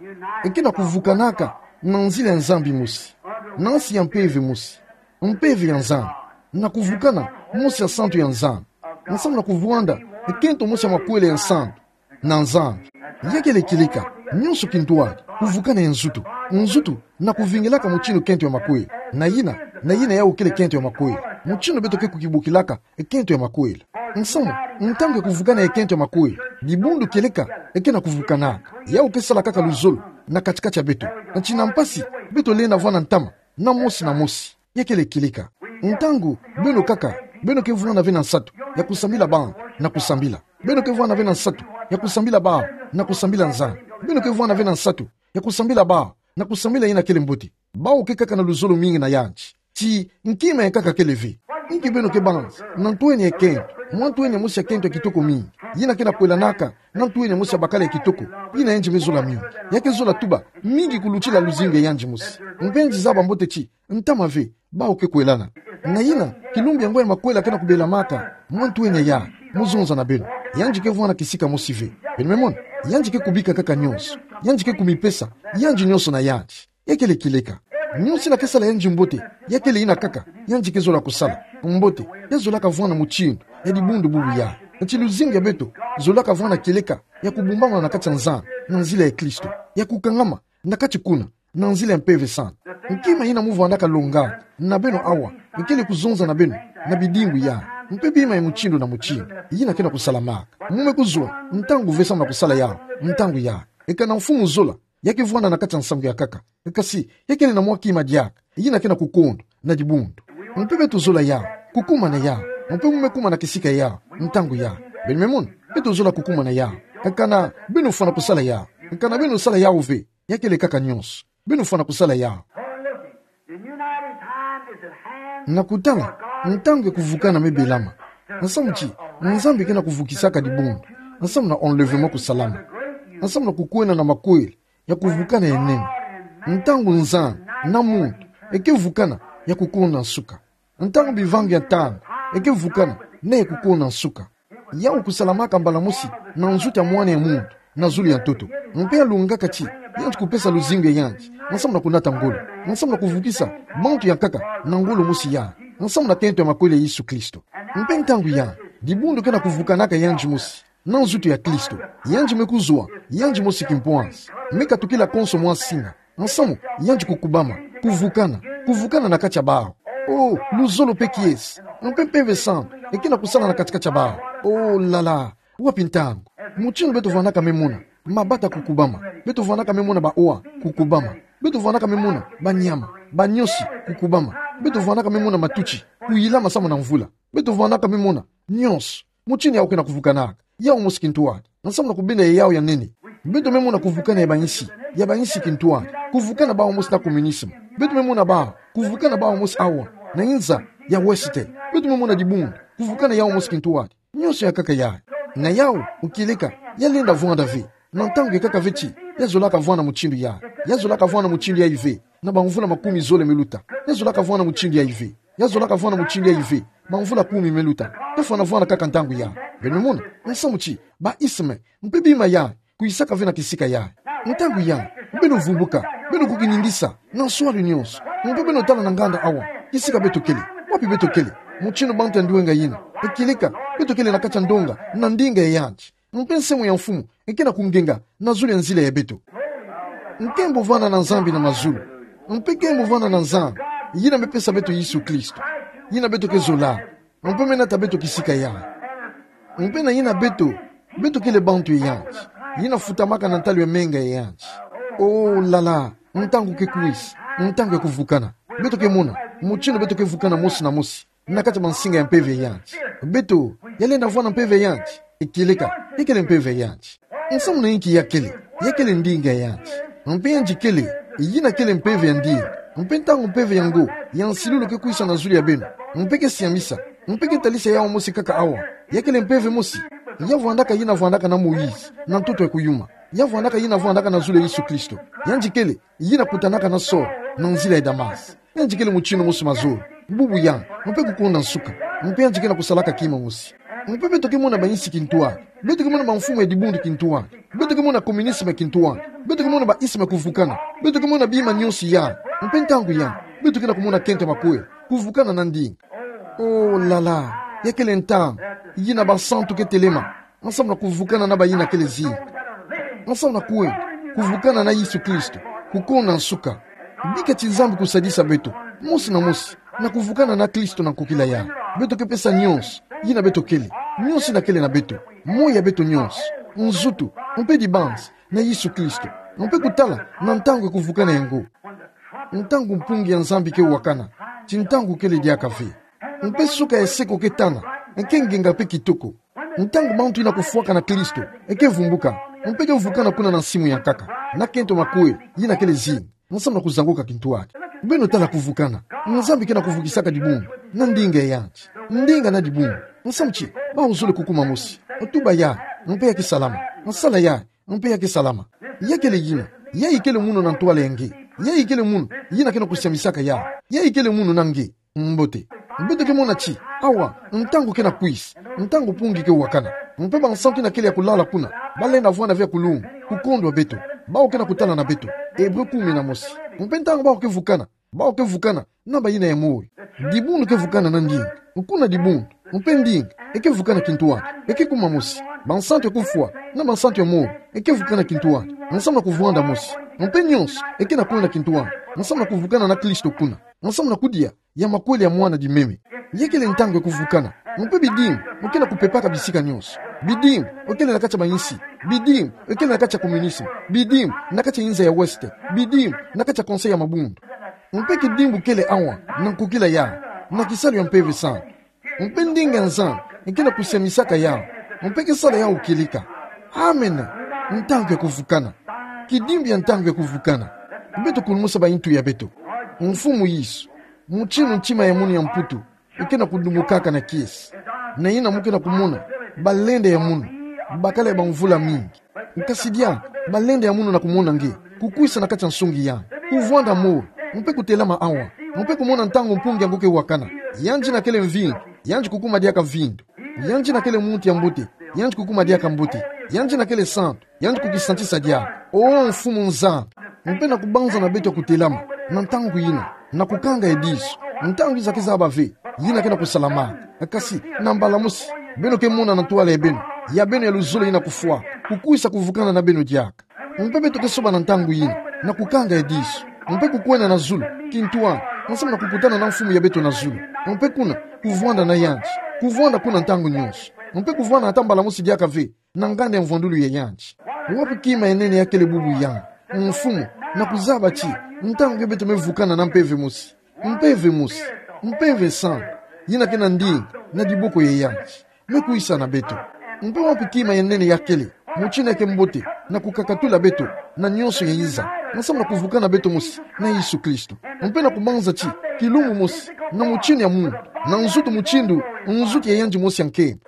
e ke na kuvukanaka na nzila ya Nzambi mosi, na nsi ya mpeve mosi, mpeve ya Nzambi, na kuvukana mosi ya santu ya Nzambi. Nsamu na kuvwanda e kento mosi ya makwela ya santu na Nzambi. Ya kele kieleka, nyonso kintwadi, kuvukana ye nzoto, nzoto na kuvingilaka mutindu kento ya makwela. Na yina, na yina yau kele kento ya makwela. Mutindu beto ke kukibukilaka e kento ya makwela. Nsamu, ntangu ya kuvukana ye kento ya makwela, dibundu kieleka e ke na kuvukanaka. Yau ke sala kaka luzolo na kati-kati ya beto. Nti na mpasi, beto lenda vwanda ntama na mosi na mosi. Ya kele kieleka. Ntangu beno kaka, beno ke vwanda ve na nsatu ya kusambila bau na kusambila. Beno ke vwanda ve na nsatu ya kusambila bau na kusambila Nzambi. Beno ke vwanda ve na nsatu ya kusambila bau na kusambila yina kele mbote. Bau ke kaka na luzolo mingi na yandi. Ti nki me kaka kele ve? Inki beno ke banza na ntwenia ya kento, mwa ntwenia mosi ya kento ya kitoko mingi, yina ke na kwelanaka na ntwenia mosi ya bakala ya kitoko, yina yandi me zola mingi. Ya ke zola tuba mingi kulutila luzingu ya yandi mosi. Mpe yandi zaba mbote ti ntama ve, bau ke kwelana. Na yina, kilumbu yango ya makwela ke na kubelamaka mwa ntwenia ya, mu zonza na beno. Yandi ke vwanda kisika mosi ve. Beno me mona? Yandi ke kubika kaka nyonso. Yandi ke kumipesa yandi nyonso na yandi. Ya kele kieleka. Nyonso yina ke sala yandi mbote, ya kele yina kaka yandi ke zola kusala. Mbote, ya zolaka vwanda mutindu ya dibundu bubu ya. Nti luzingu ya beto zolaka vwanda kieleka ya kubumbamana na kati ya Nzambi na nzila ya Kristo, ya kukangama na kati kuna na nzila ya Mpeve Santu. Nki ma ina muvwandaka longa na beno awa, nkele kuzonza na beno na bidingwi ya, mpe bima ya mutindu na mutindu yina kena kusalamaka. Mume kuzwa ntangu ve samu na kusala yau, ntangu ya. Eka na mfumu zola, ya kevwanda na kati ya nsangu ya nkaka. Kasi, ya kele na mwa kima diaka yina kena kukondo na dibundu. Mpe beto zola yau, kukumana yau, mpe mume kumana kisika yau, ntangu ya. Beno me mona, beto zola kukumana yau. Eka na beno fwana kusala yau, eka na beno sala yau ve, ya kele nkaka nyonso. Beno fwana kusala yau. Na kutala, ntangu ya kuvukana me belama. Nsamu ti, Nzambi kena kuvukisaka dibundu. Nsamu na enlèvement kusalama. Nsamu na kukwena na makweli ya kuvukana ya nene. Ntangu nzani na muntu eke vukana, ya kukonda nsuka. Ntangu bivangi ya ntangu eke vukana, na ya kukonda nsuka. Yau kusalamaka mbala mosi na nzutu ya mwana ya muntu na zulu ya ntoto. Mpe yalungaka ti yandi kupesa luzingu ya yandi, nsamu na kunata ngolo, nsamu na kuvukisa bantu ya nkaka na ngolo mosi ya, nsamu na kento ya makweli ya Yesu Kristo. Mpe ntangu ya, dibundu kena kuvukanaka yandi mosi na nzutu ya Kristo. Yandi me kuzwa, yandi mosi kimpwanzi, me katukila konso mwa singa. Nsamu, yandi kukubama, kuvukana, kuvukana na kati ya bau. Oh, luzolo mpe kiese, mpe Mpeve Santu eke na kusala na kati-kati ya bau. Oh la la, wapi ntangu? Mutindu beto vwandaka me mona mabata kukubama, beto vwandaka me mona baoa kukubama, beto vwandaka me mona banyama, baniosi kukubama, beto vwandaka me mona matuti kuyilama samu na mvula, beto vwandaka me mona nyonso. Mutindu yau kena kuvukanaka, yau mosi kintwadi, nsamu na kubenda ya yau ya nene. Beto me mona kuvukana ya bayinsi, ya bayinsi kintwadi, kuvukana bau mosi na communisme. Beto me mona bau, kuvukana bau mosi awa na yinza ya Ouest. Beto me mona dibundu, kuvukana yau mosi kintwadi. Nyonso ya nkaka ya, na yau, ukieleka, yalenda vwanda ve. Na ntangu ya nkaka ve ti, yazolaka vwanda mutindu ya, yazolaka vwanda mutindu ya ive. Na bamvula makumi zole me luta, yazolaka vwanda mutindu ya ive. Yazolaka vwanda mutindu ya ive. Bamvula kumi me luta, kafwana vwanda kaka ntangu ya. Beno me mona, nsamu ti, ba isme, mpe bima ya, kuyisaka ve na kisika ya. Ntangu ya, beno vumbuka, beno kukiningisa na nswalu nyonso. Mpe beno tala na nganda awa, kisika beto kele, wapi beto kele? Mutindu bantu ya ndwenga yina, ekieleka, beto kele na kati ya ndonga na ndinga ya yandi. Mpe nsengo ya Mfumu eke na kungenga na zulu ya nzila ya beto. Nkembo vwanda na Nzambi na mazulu. Mpe nkembo vwanda na Nzambi, yina me pesa beto Yesu Kristo, yina beto ke zola, mpe me nata beto kisika ya. Mpe na yina beto, beto kele bantu ya yandi, yina futamaka na ntalu ya menga ya yandi. Oh la la, ntangu ke kwisa, ntangu ya kuvukana. Beto ke mona mutindu beto ke vukana mosi na mosi na kati ya bansinga ya mpeve ya yandi. Beto, yalenda vwanda mpeve ya yandi, ekieleka, ya kele mpeve ya yandi. Nsamu na inki ya kele, ya kele ndinga ya yandi. Mpe yandi kele, yina kele mpeve ya ndinga. Mpe ntangu mpeve yango ya nsilulu ke kwisa na zulu ya beno, mpe ke siamisa, mpe ke talisa yau mosi kaka awa, ya kele mpeve mosi ya vwandaka, yina vwandaka na Moïse na ntoto ya kuyuma, ya vwandaka, yina vwandaka na zulu ya Yesu Kristo. Yandi kele, yina kutanaka na Saul na nzila ya Damas. Yandi kele mutindu mosi mazolo, bubu ya, mpe kukonda nsuka. Mpe yandi kena kusalaka kima mosi. Mpe beto ke mona bayinsi kintwadi, beto ke mona bamfumu ya dibundu kintwadi, beto ke mona communisme kintwadi, beto ke mona ba isme kuvukana, beto ke mona bima nyonso ya. Mpe ntangu ya, beto kena kumona kento ya makweli, kuvukana na ndinga. Oh la la, ya kele ntangu yina basantu ke telema, nsamu na kuvukana na bayina kele zinga. Nsamu na kwenda, kuvukana na Yesu Kristo, kukonda nsuka. Bika ti Nzambi kusadisa beto mosi na mosi na kuvukana na Kristo na nkokila ya. Beto ke pesa nyonso yina beto kele, nyonso yina kele na beto, moyo ya beto nyonso, nzutu, mpe dibanzi, na Yesu Kristo, mpe kutala na ntangu ya kuvukana yango. Ntangu mpungi ya Nzambi ke wakana, ti ntangu kele diaka ve. Mpe suka ya seko ke tana, eke ngenga mpe kitoko. Ntangu bantu yina kufwakana Kristo eke vumbuka, mpe ke vukana kuna na nsimu ya nkaka, na kento makweli, yina kele zinga, nsamu na kuzangoka kintwadi. Beno tala kuvukana. Nzambi kena kuvukisaka dibundu na ndinga ya yandi. Ndinga na dibundu, nsamu ti, bau zole kukuma mosi. Tuba ya, mpe ya ke salama. Sala ya, mpe ya ke salama. Ya kele yina, yayi kele munu na ntwala ya nge. Yayi kele munu yina kena kusiamisaka ya. Yayi kele munu na nge. Mbote. Beto ke mona ti, awa, ntangu kena kwisa, ntangu mpungi ke wakana. Mpe bansantu yina kele ya kulala kuna, balenda vwanda ve ya kulunga, kukondwa beto. Bau kena kutala na beto. Hébreu kumi na mosi. Mpe ntangu bau ke vukana, bau ke vukana na bayina ya moyo. Dibundu ke vukana na ndinga. Kuna dibundu, mpe ndinga eke vukana kintwadi, eke kuma mosi. Bansantu ya kufwa na bansantu ya moyo eke vukana kintwadi, nsamu na kuvwanda mosi. Mpe nyonso eke na kwenda kintwadi. Nsamu na kuvukana na Kristo kuna. Nsamu na kudia ya makweli ya mwana di meme. Ya kele ntangu ya kuvukana. Mpe bidimbu, mpe na kupepaka bisika nyonso. Bidimbu, mpe kele na kati ya bayinsi. Bidimbu, mpe kele na kati ya communisme. Bidimbu, na kati ya inza ya Ouest. Bidimbu, na kati ya Conseil ya Mabundu. Mpe kidimbu kele awa, na nkokila ya, na kisalu ya Mpeve Santu. Mpe ndinga ya Nzambi, mpe na kusiamisaka ya, mpe kisala ya ukilika. Amen. Ntangu ya kuvukana. Kidimbu ya ntangu ya kuvukana. Mpe tukulumusa bayintu ya beto. Mfumu Yesu, mutinu ntima ya munu ya mputu, mpe na kudumukaka na kiese. Na yina mpe na kumona, balende ya munu, bakala ya bamvula mingi. Nkasi dia, balende ya munu na kumona nge, kukwisa na kati ya nsungi ya, kuvwanda mo, mpe kutelama awa, mpe kumona ntangu mpungi yango ke wakana, yandi na kele mvindu, yandi kukuma diaka mvindu, yandi na kele muntu ya mbote, yandi kukuma diaka mbote, yandi na kele santu, yandi kukisantisa diaka. O Mfumu Nzambi, mpe na kubanza na beto ya kutelama, na ntangu yina, na kukanga ediso, ntangu yiza ke zaba ve, yina ke na kusalama. Kasi, na mbala mosi, beno ke mona na ntwala ya beno, ya beno ya luzolo yina kufwa, kukwisa kuvukana na beno diaka. Mpe beto ke soba na ntangu yina, na kukanga ediso, mpe kukwenda na zulu, kintwala, nsamu na kukutana na Mfumu ya beto na zulu, mpe kuna, kuvwanda na yandi, kuvwanda kuna ntangu nyonso, mpe kuvwanda ata mbala mosi diaka ve, na nganda ya mvwandulu ya yandi. Wapi kima ya nene ya kele bubu ya, Mfumu, na kuzaba ti, ntangu ya beto me vukana na mpeve mosi, mpeve mosi, Mpeve Santu, yina ke na ndinga, na diboko ya yandi, me kwisa na beto. Mpe wapi kima ya nene ya kele, mutinu ya ke mbote, na kukakatula beto, na nyonso ya yiza, nsamu na kuvukana beto mosi, na Yesu Kristo. Mpe na kubanza ti, kilumbu mosi, na mutinu ya muntu, na nzutu mutindu, nzutu ya yandi mosi ya nkembo.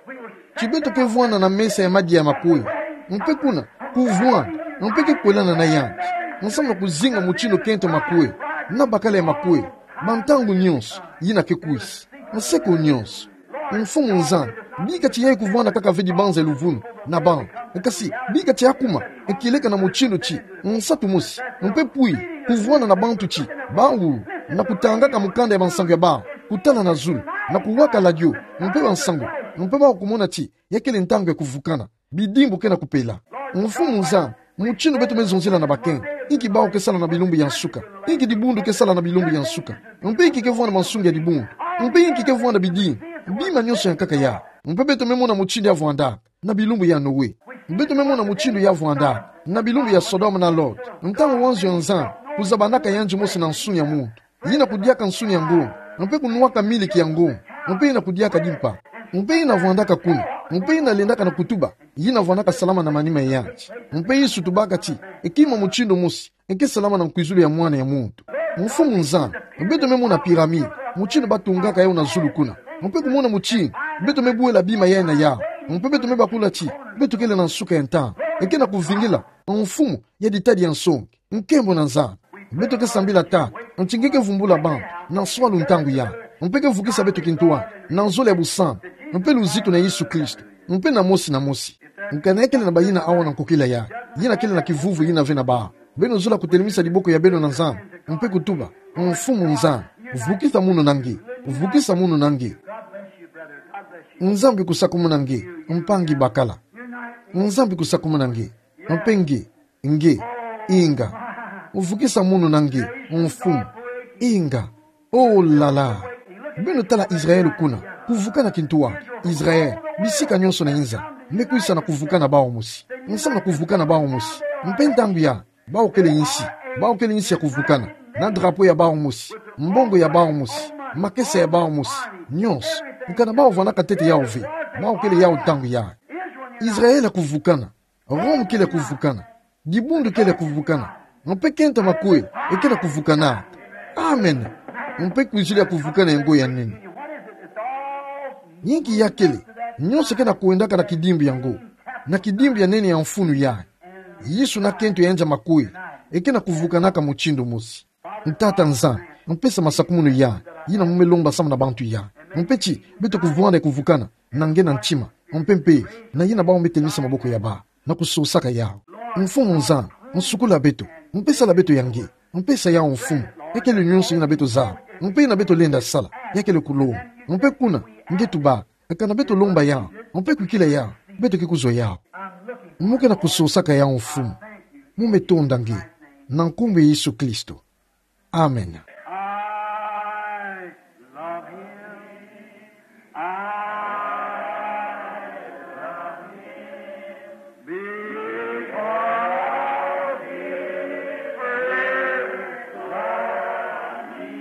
Ti beto ke vwanda na mesa ya madia ya makweli. Mpe kuna, kuvwanda, mpe ke kwelana na yandi. Nsamu na kuzinga mutinu kento makweli, na bakala ya makweli, bantangu nyonso, yina ke kwisa. Nsekulu nyonso. Mfumu Nzambi, bika ti yayi kuvwanda kaka ve dibanza ya luvunu, na bantu. Kasi, bika ti akuma, e kieleka na mutinu ti, nsatu mosi, mpe pwi, kuvwanda na bantu ti, bawu, na kutangaka mukanda ya bansangu ya bawu, kutala na zulu, na kuwaka ladio, mpe bansangu, mpe bawu kumona ti, ya kele ntangu ya kuvukana. Bidimbu ke na kupela. Mfumu Nzambi, mutinu beto me zonzela na bakento. Inki bawu ke sala na bilumbu ya nsuka. Inki dibundu ke sala na bilumbu ya nsuka. Mpe inki ke vwanda mansungi ya dibundu. Mpe inki ke vwanda bidimbu. Bima nyonso ya nkaka ya. Mpe beto me mona mutinu ya vwandaka. Na bilumbu ya Noe. Beto me mona mutinu ya vwandaka. Na bilumbu ya Sodome na Lot. Ntangu anzu ya Nzambi. Kuzabanaka yandi mosi na nsuni ya muntu. Yina kudiaka nsuni ya ngongo, mpe kunwaka miliki ya ngongo, mpe yina kudiaka dimpa. Mpe yina vwandaka kuna, mpe yina lendaka na kutuba, yina vwandaka salama na manima ya yandi. Mpe Yesu tubaka ti, e kima mutindu mosi, e ke salama na nkwizulu ya mwana ya muntu. Mfumu Nzambi, beto me mona pyramide, mutindu batungaka yawu na zulu kuna. Mpe kumona mutindu, beto me bwela bima yayi na yawu. Mpe beto me bakula ti, beto kele na nsuka ya ntangu. E ke na kuvingila, Mfumu, ya ditadi ya nsongi. Nkembo na Nzambi. Beto ke sambila tata, nti nge ke vumbula bantu, na nswalu ntangu ya. Mpe ke vukisa beto kintwari, na nzola ya busantu, mpe luzitu na Yesu Kristo, mpe na mosi na mosi. Nkana ya kele na bayina awa na nkokila ya, yina kele na kivuvu yina ve na bawu. Beno zola kutelemisa diboko ya beno na Nzambi, mpe kutuba, Mfumu Nzambi, vukisa munu na nge, vukisa munu na nge. Nzambi kusakumuna nge, mpangi bakala. Nzambi kusakumuna nge, mpe nge, nge, inga. Vukisa munu na nge, Mfumu. Inga. Oh là là. Beno tala Israël kuna. Kuvukana kintwari. Israël. Bisika nyonso na inza. Me kwisa na kuvukana bawu mosi. Nsamu na kuvukana bawu mosi. Mpe ntangu ya. Bawu kele insi. Bawu kele insi ya kuvukana. Na drapeau ya bawu mosi. Mbongo ya bawu mosi. Makesa ya bawu mosi. Nyonso. Nkana bawu vwandaka ntete yawu ve. Bawu kele yawu ntangu ya. Israël kuvukana. Rome kele kuvukana. Dibundu kele kuvukana. Mpe kento makweli, e kele kuvukana. Amen. Mpe kwizulu ya kuvukana ya ngo ya nene. Inki ya kele, nyonso ke na kwendaka na kidimbu ya ngo. Na kidimbu ya nene ya mfunu ya. Yesu na kento ya nza makweli, e ke na kuvukanaka mutindu mosi. Tata Nzambi, mpesa masakumunu ya, yina mu me lomba samu na bantu ya. Mpe ti, beto kuvwanda kuvukana, na nge na ntima, mpe mpe, na yina bawu me telemisa maboko ya bawu, na kusosaka yawu. Mfumu Nzambi, nsukula beto, mpe sala beto ya nge, mpesa yawu Mfumu, ya kele nyonso yina beto zaba, mpe yina beto lenda sala, ya kele kulomba, mpe kuna, nge tuba, kana beto lomba yawu, mpe kwikila yawu, beto ke kuzwa yawu. Mu ke na kusosaka yawu Mfumu, mu me tonda nge, na nkumbu ya Yesu Kristo. Amen. I love him. I love him because he first loved me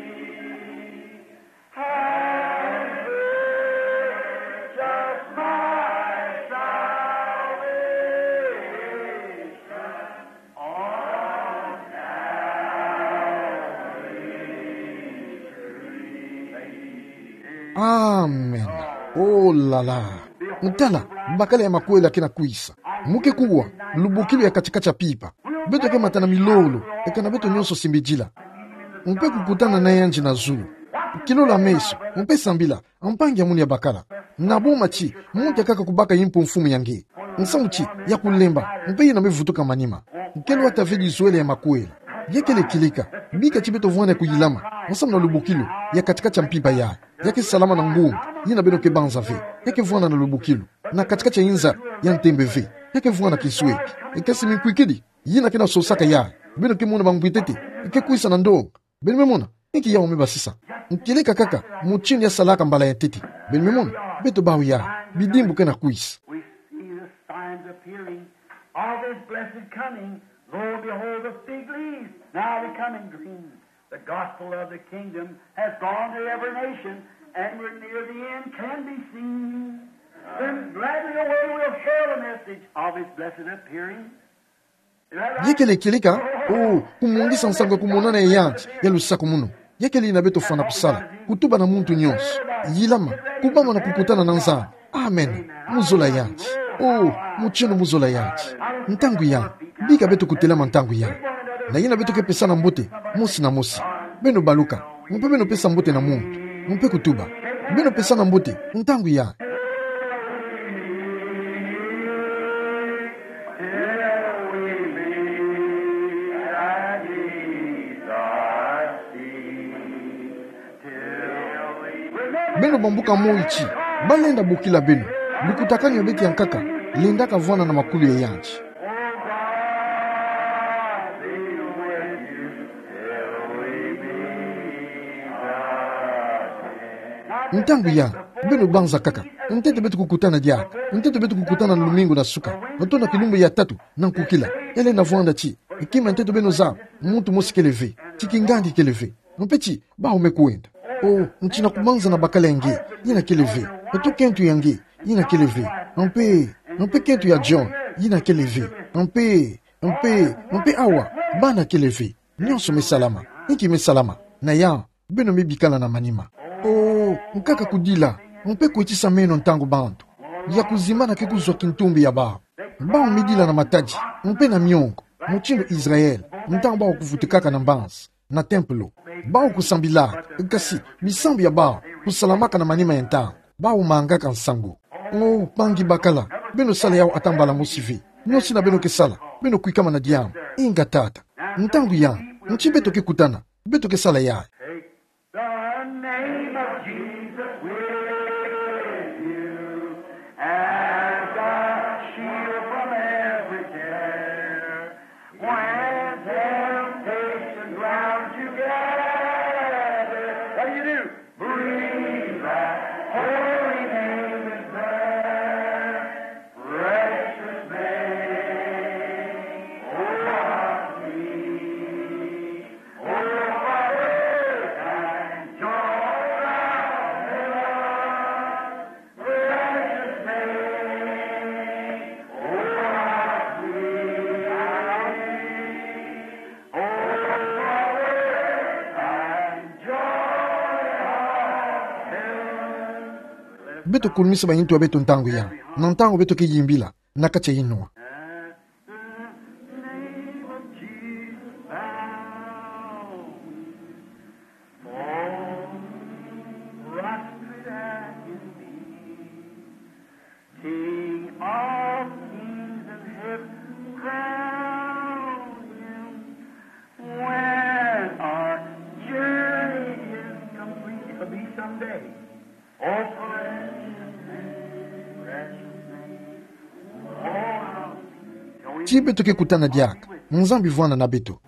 and purchased my salvation. Amen. Oh la la. Ntala, bakala ya makwela kena kwisa. Mu ke kuwa, lubokilu ya kati-kati a mpimpa. Beto ke mata na milolo, eka na beto nyonso simbidila. Mpe kukutana na yandi na zulu. Kilola meso, mpe sambila, ampangi ya munu ya bakala. Na boma ti, muntu akaka kubaka impo mfumu ya nge. Nsamu ti, ya kulemba, mpe yina me vutuka manima. Nkelo atave dizwele ya makwela. Yekele kilika, bika ti beto vwanda kuyilama, nsamu na lubokilu, ya kati-kati a mpimpa ya. Ya ke salama na ngunga, yina beno ke banza ve. Ya ke vwanda na lubokilu, na kati-kati a inza, ya ntembe ve. Ya ke vwanda kinsweki. Eka si minkwikidi, yina kena sosaka ya. Beno ke mona bangwintete, eke kwisa na ndonga. Beno me mona, inki yawu me basisa. Nkele kakaka, mutindu ya salaka mbala ya ntete. Beno me mona, beto bawu ya, bidimbu kena kwisa. We see the signs appearing of his blessed coming. Lo and behold, the fig leaves now becoming green. The gospel of the kingdom has gone to every nation, and we're near the end, can be seen. Then gladly away we'll hail the message of his blessed appearing. Yekele kilika, oh, kumungisa nsangu ya kumonana ya yandi, ya lusakumunu. Yekele yina beto fwana kusala, kutuba na muntu nyonso. Yilama, kubama na kukutana na Nzambi. Amen. Mu zola yandi. Oh, mutindu mu zola yandi. Ntangu ya, bika beto kutelama ntangu ya. Na yina beto ke pesana mbote, mosi na mosi. Beno baluka, mpe beno pesa mbote na muntu. Mpe kutuba. Beno pesana mbote, ntangu ya. Beno bambuka moi ti, balenda bokila beno. Lukutakanu ya beto ya nkaka, lendaka vwanda na makulu ya yandi. Ntangu ya, beno banza kaka. Ntete beto kukutana diaka. Ntete beto kukutana na lumingu na suka. Oto na kilumbu ya tatu, na nkukila. Ele na vwanda ti, kima ntete beno zaba, muntu mosi kele ve. Ti kingandi kele ve. Mpe ti, bawu me kwenda. Oh, nti na kubanza na bakala ya nge, yina kele ve. Oto kento ya nge, yina kele ve. Mpe, mpe kento ya John, yina kele ve. Mpe, mpe, mpe awa, bana kele ve. Nyonso me salama. Inki me salama. Na ya, beno me bikala na manima. Oh, nkaka kudila, mpe kwetisa meno ntangu bantu. Ya kuzimbana ke kuzwa kintumbi ya bawu. Bawu me dila na matadi, mpe na miongo, mutindu Israel, ntangu bawu kuvutukaka na mbanza, na tempelo. Bawu kusambilaka, kasi, bisambu ya bawu, kusalamaka na manima ya ntangu, bawu mangaka nsangu. Oh, mpangi bakala, beno sala yawu ata mbala mosi ve. Nyosi na beno ke sala, beno kwikama na diambu, inga tata. Ntangu ya, nti beto ke kutana, beto ke sala ya. The name of Jesus with you as a shield from every care. When temptations round you gather, what do you do? Breathe that holy name in prayer. Precious name, oh, how sweet. Beto kulumisa bayintu ya beto ntangu ya, na ntangu beto ke yimbila, na kati ya inua. At the name of Jesus, bow we fall prostrate at his feet. King of kings and heaven, crown him. When our journey is complete, it'll be someday. Oh, precious name, precious name. Oh, how sweet. Ti beto ke kutana diaka, Nzambi vwanda na beto.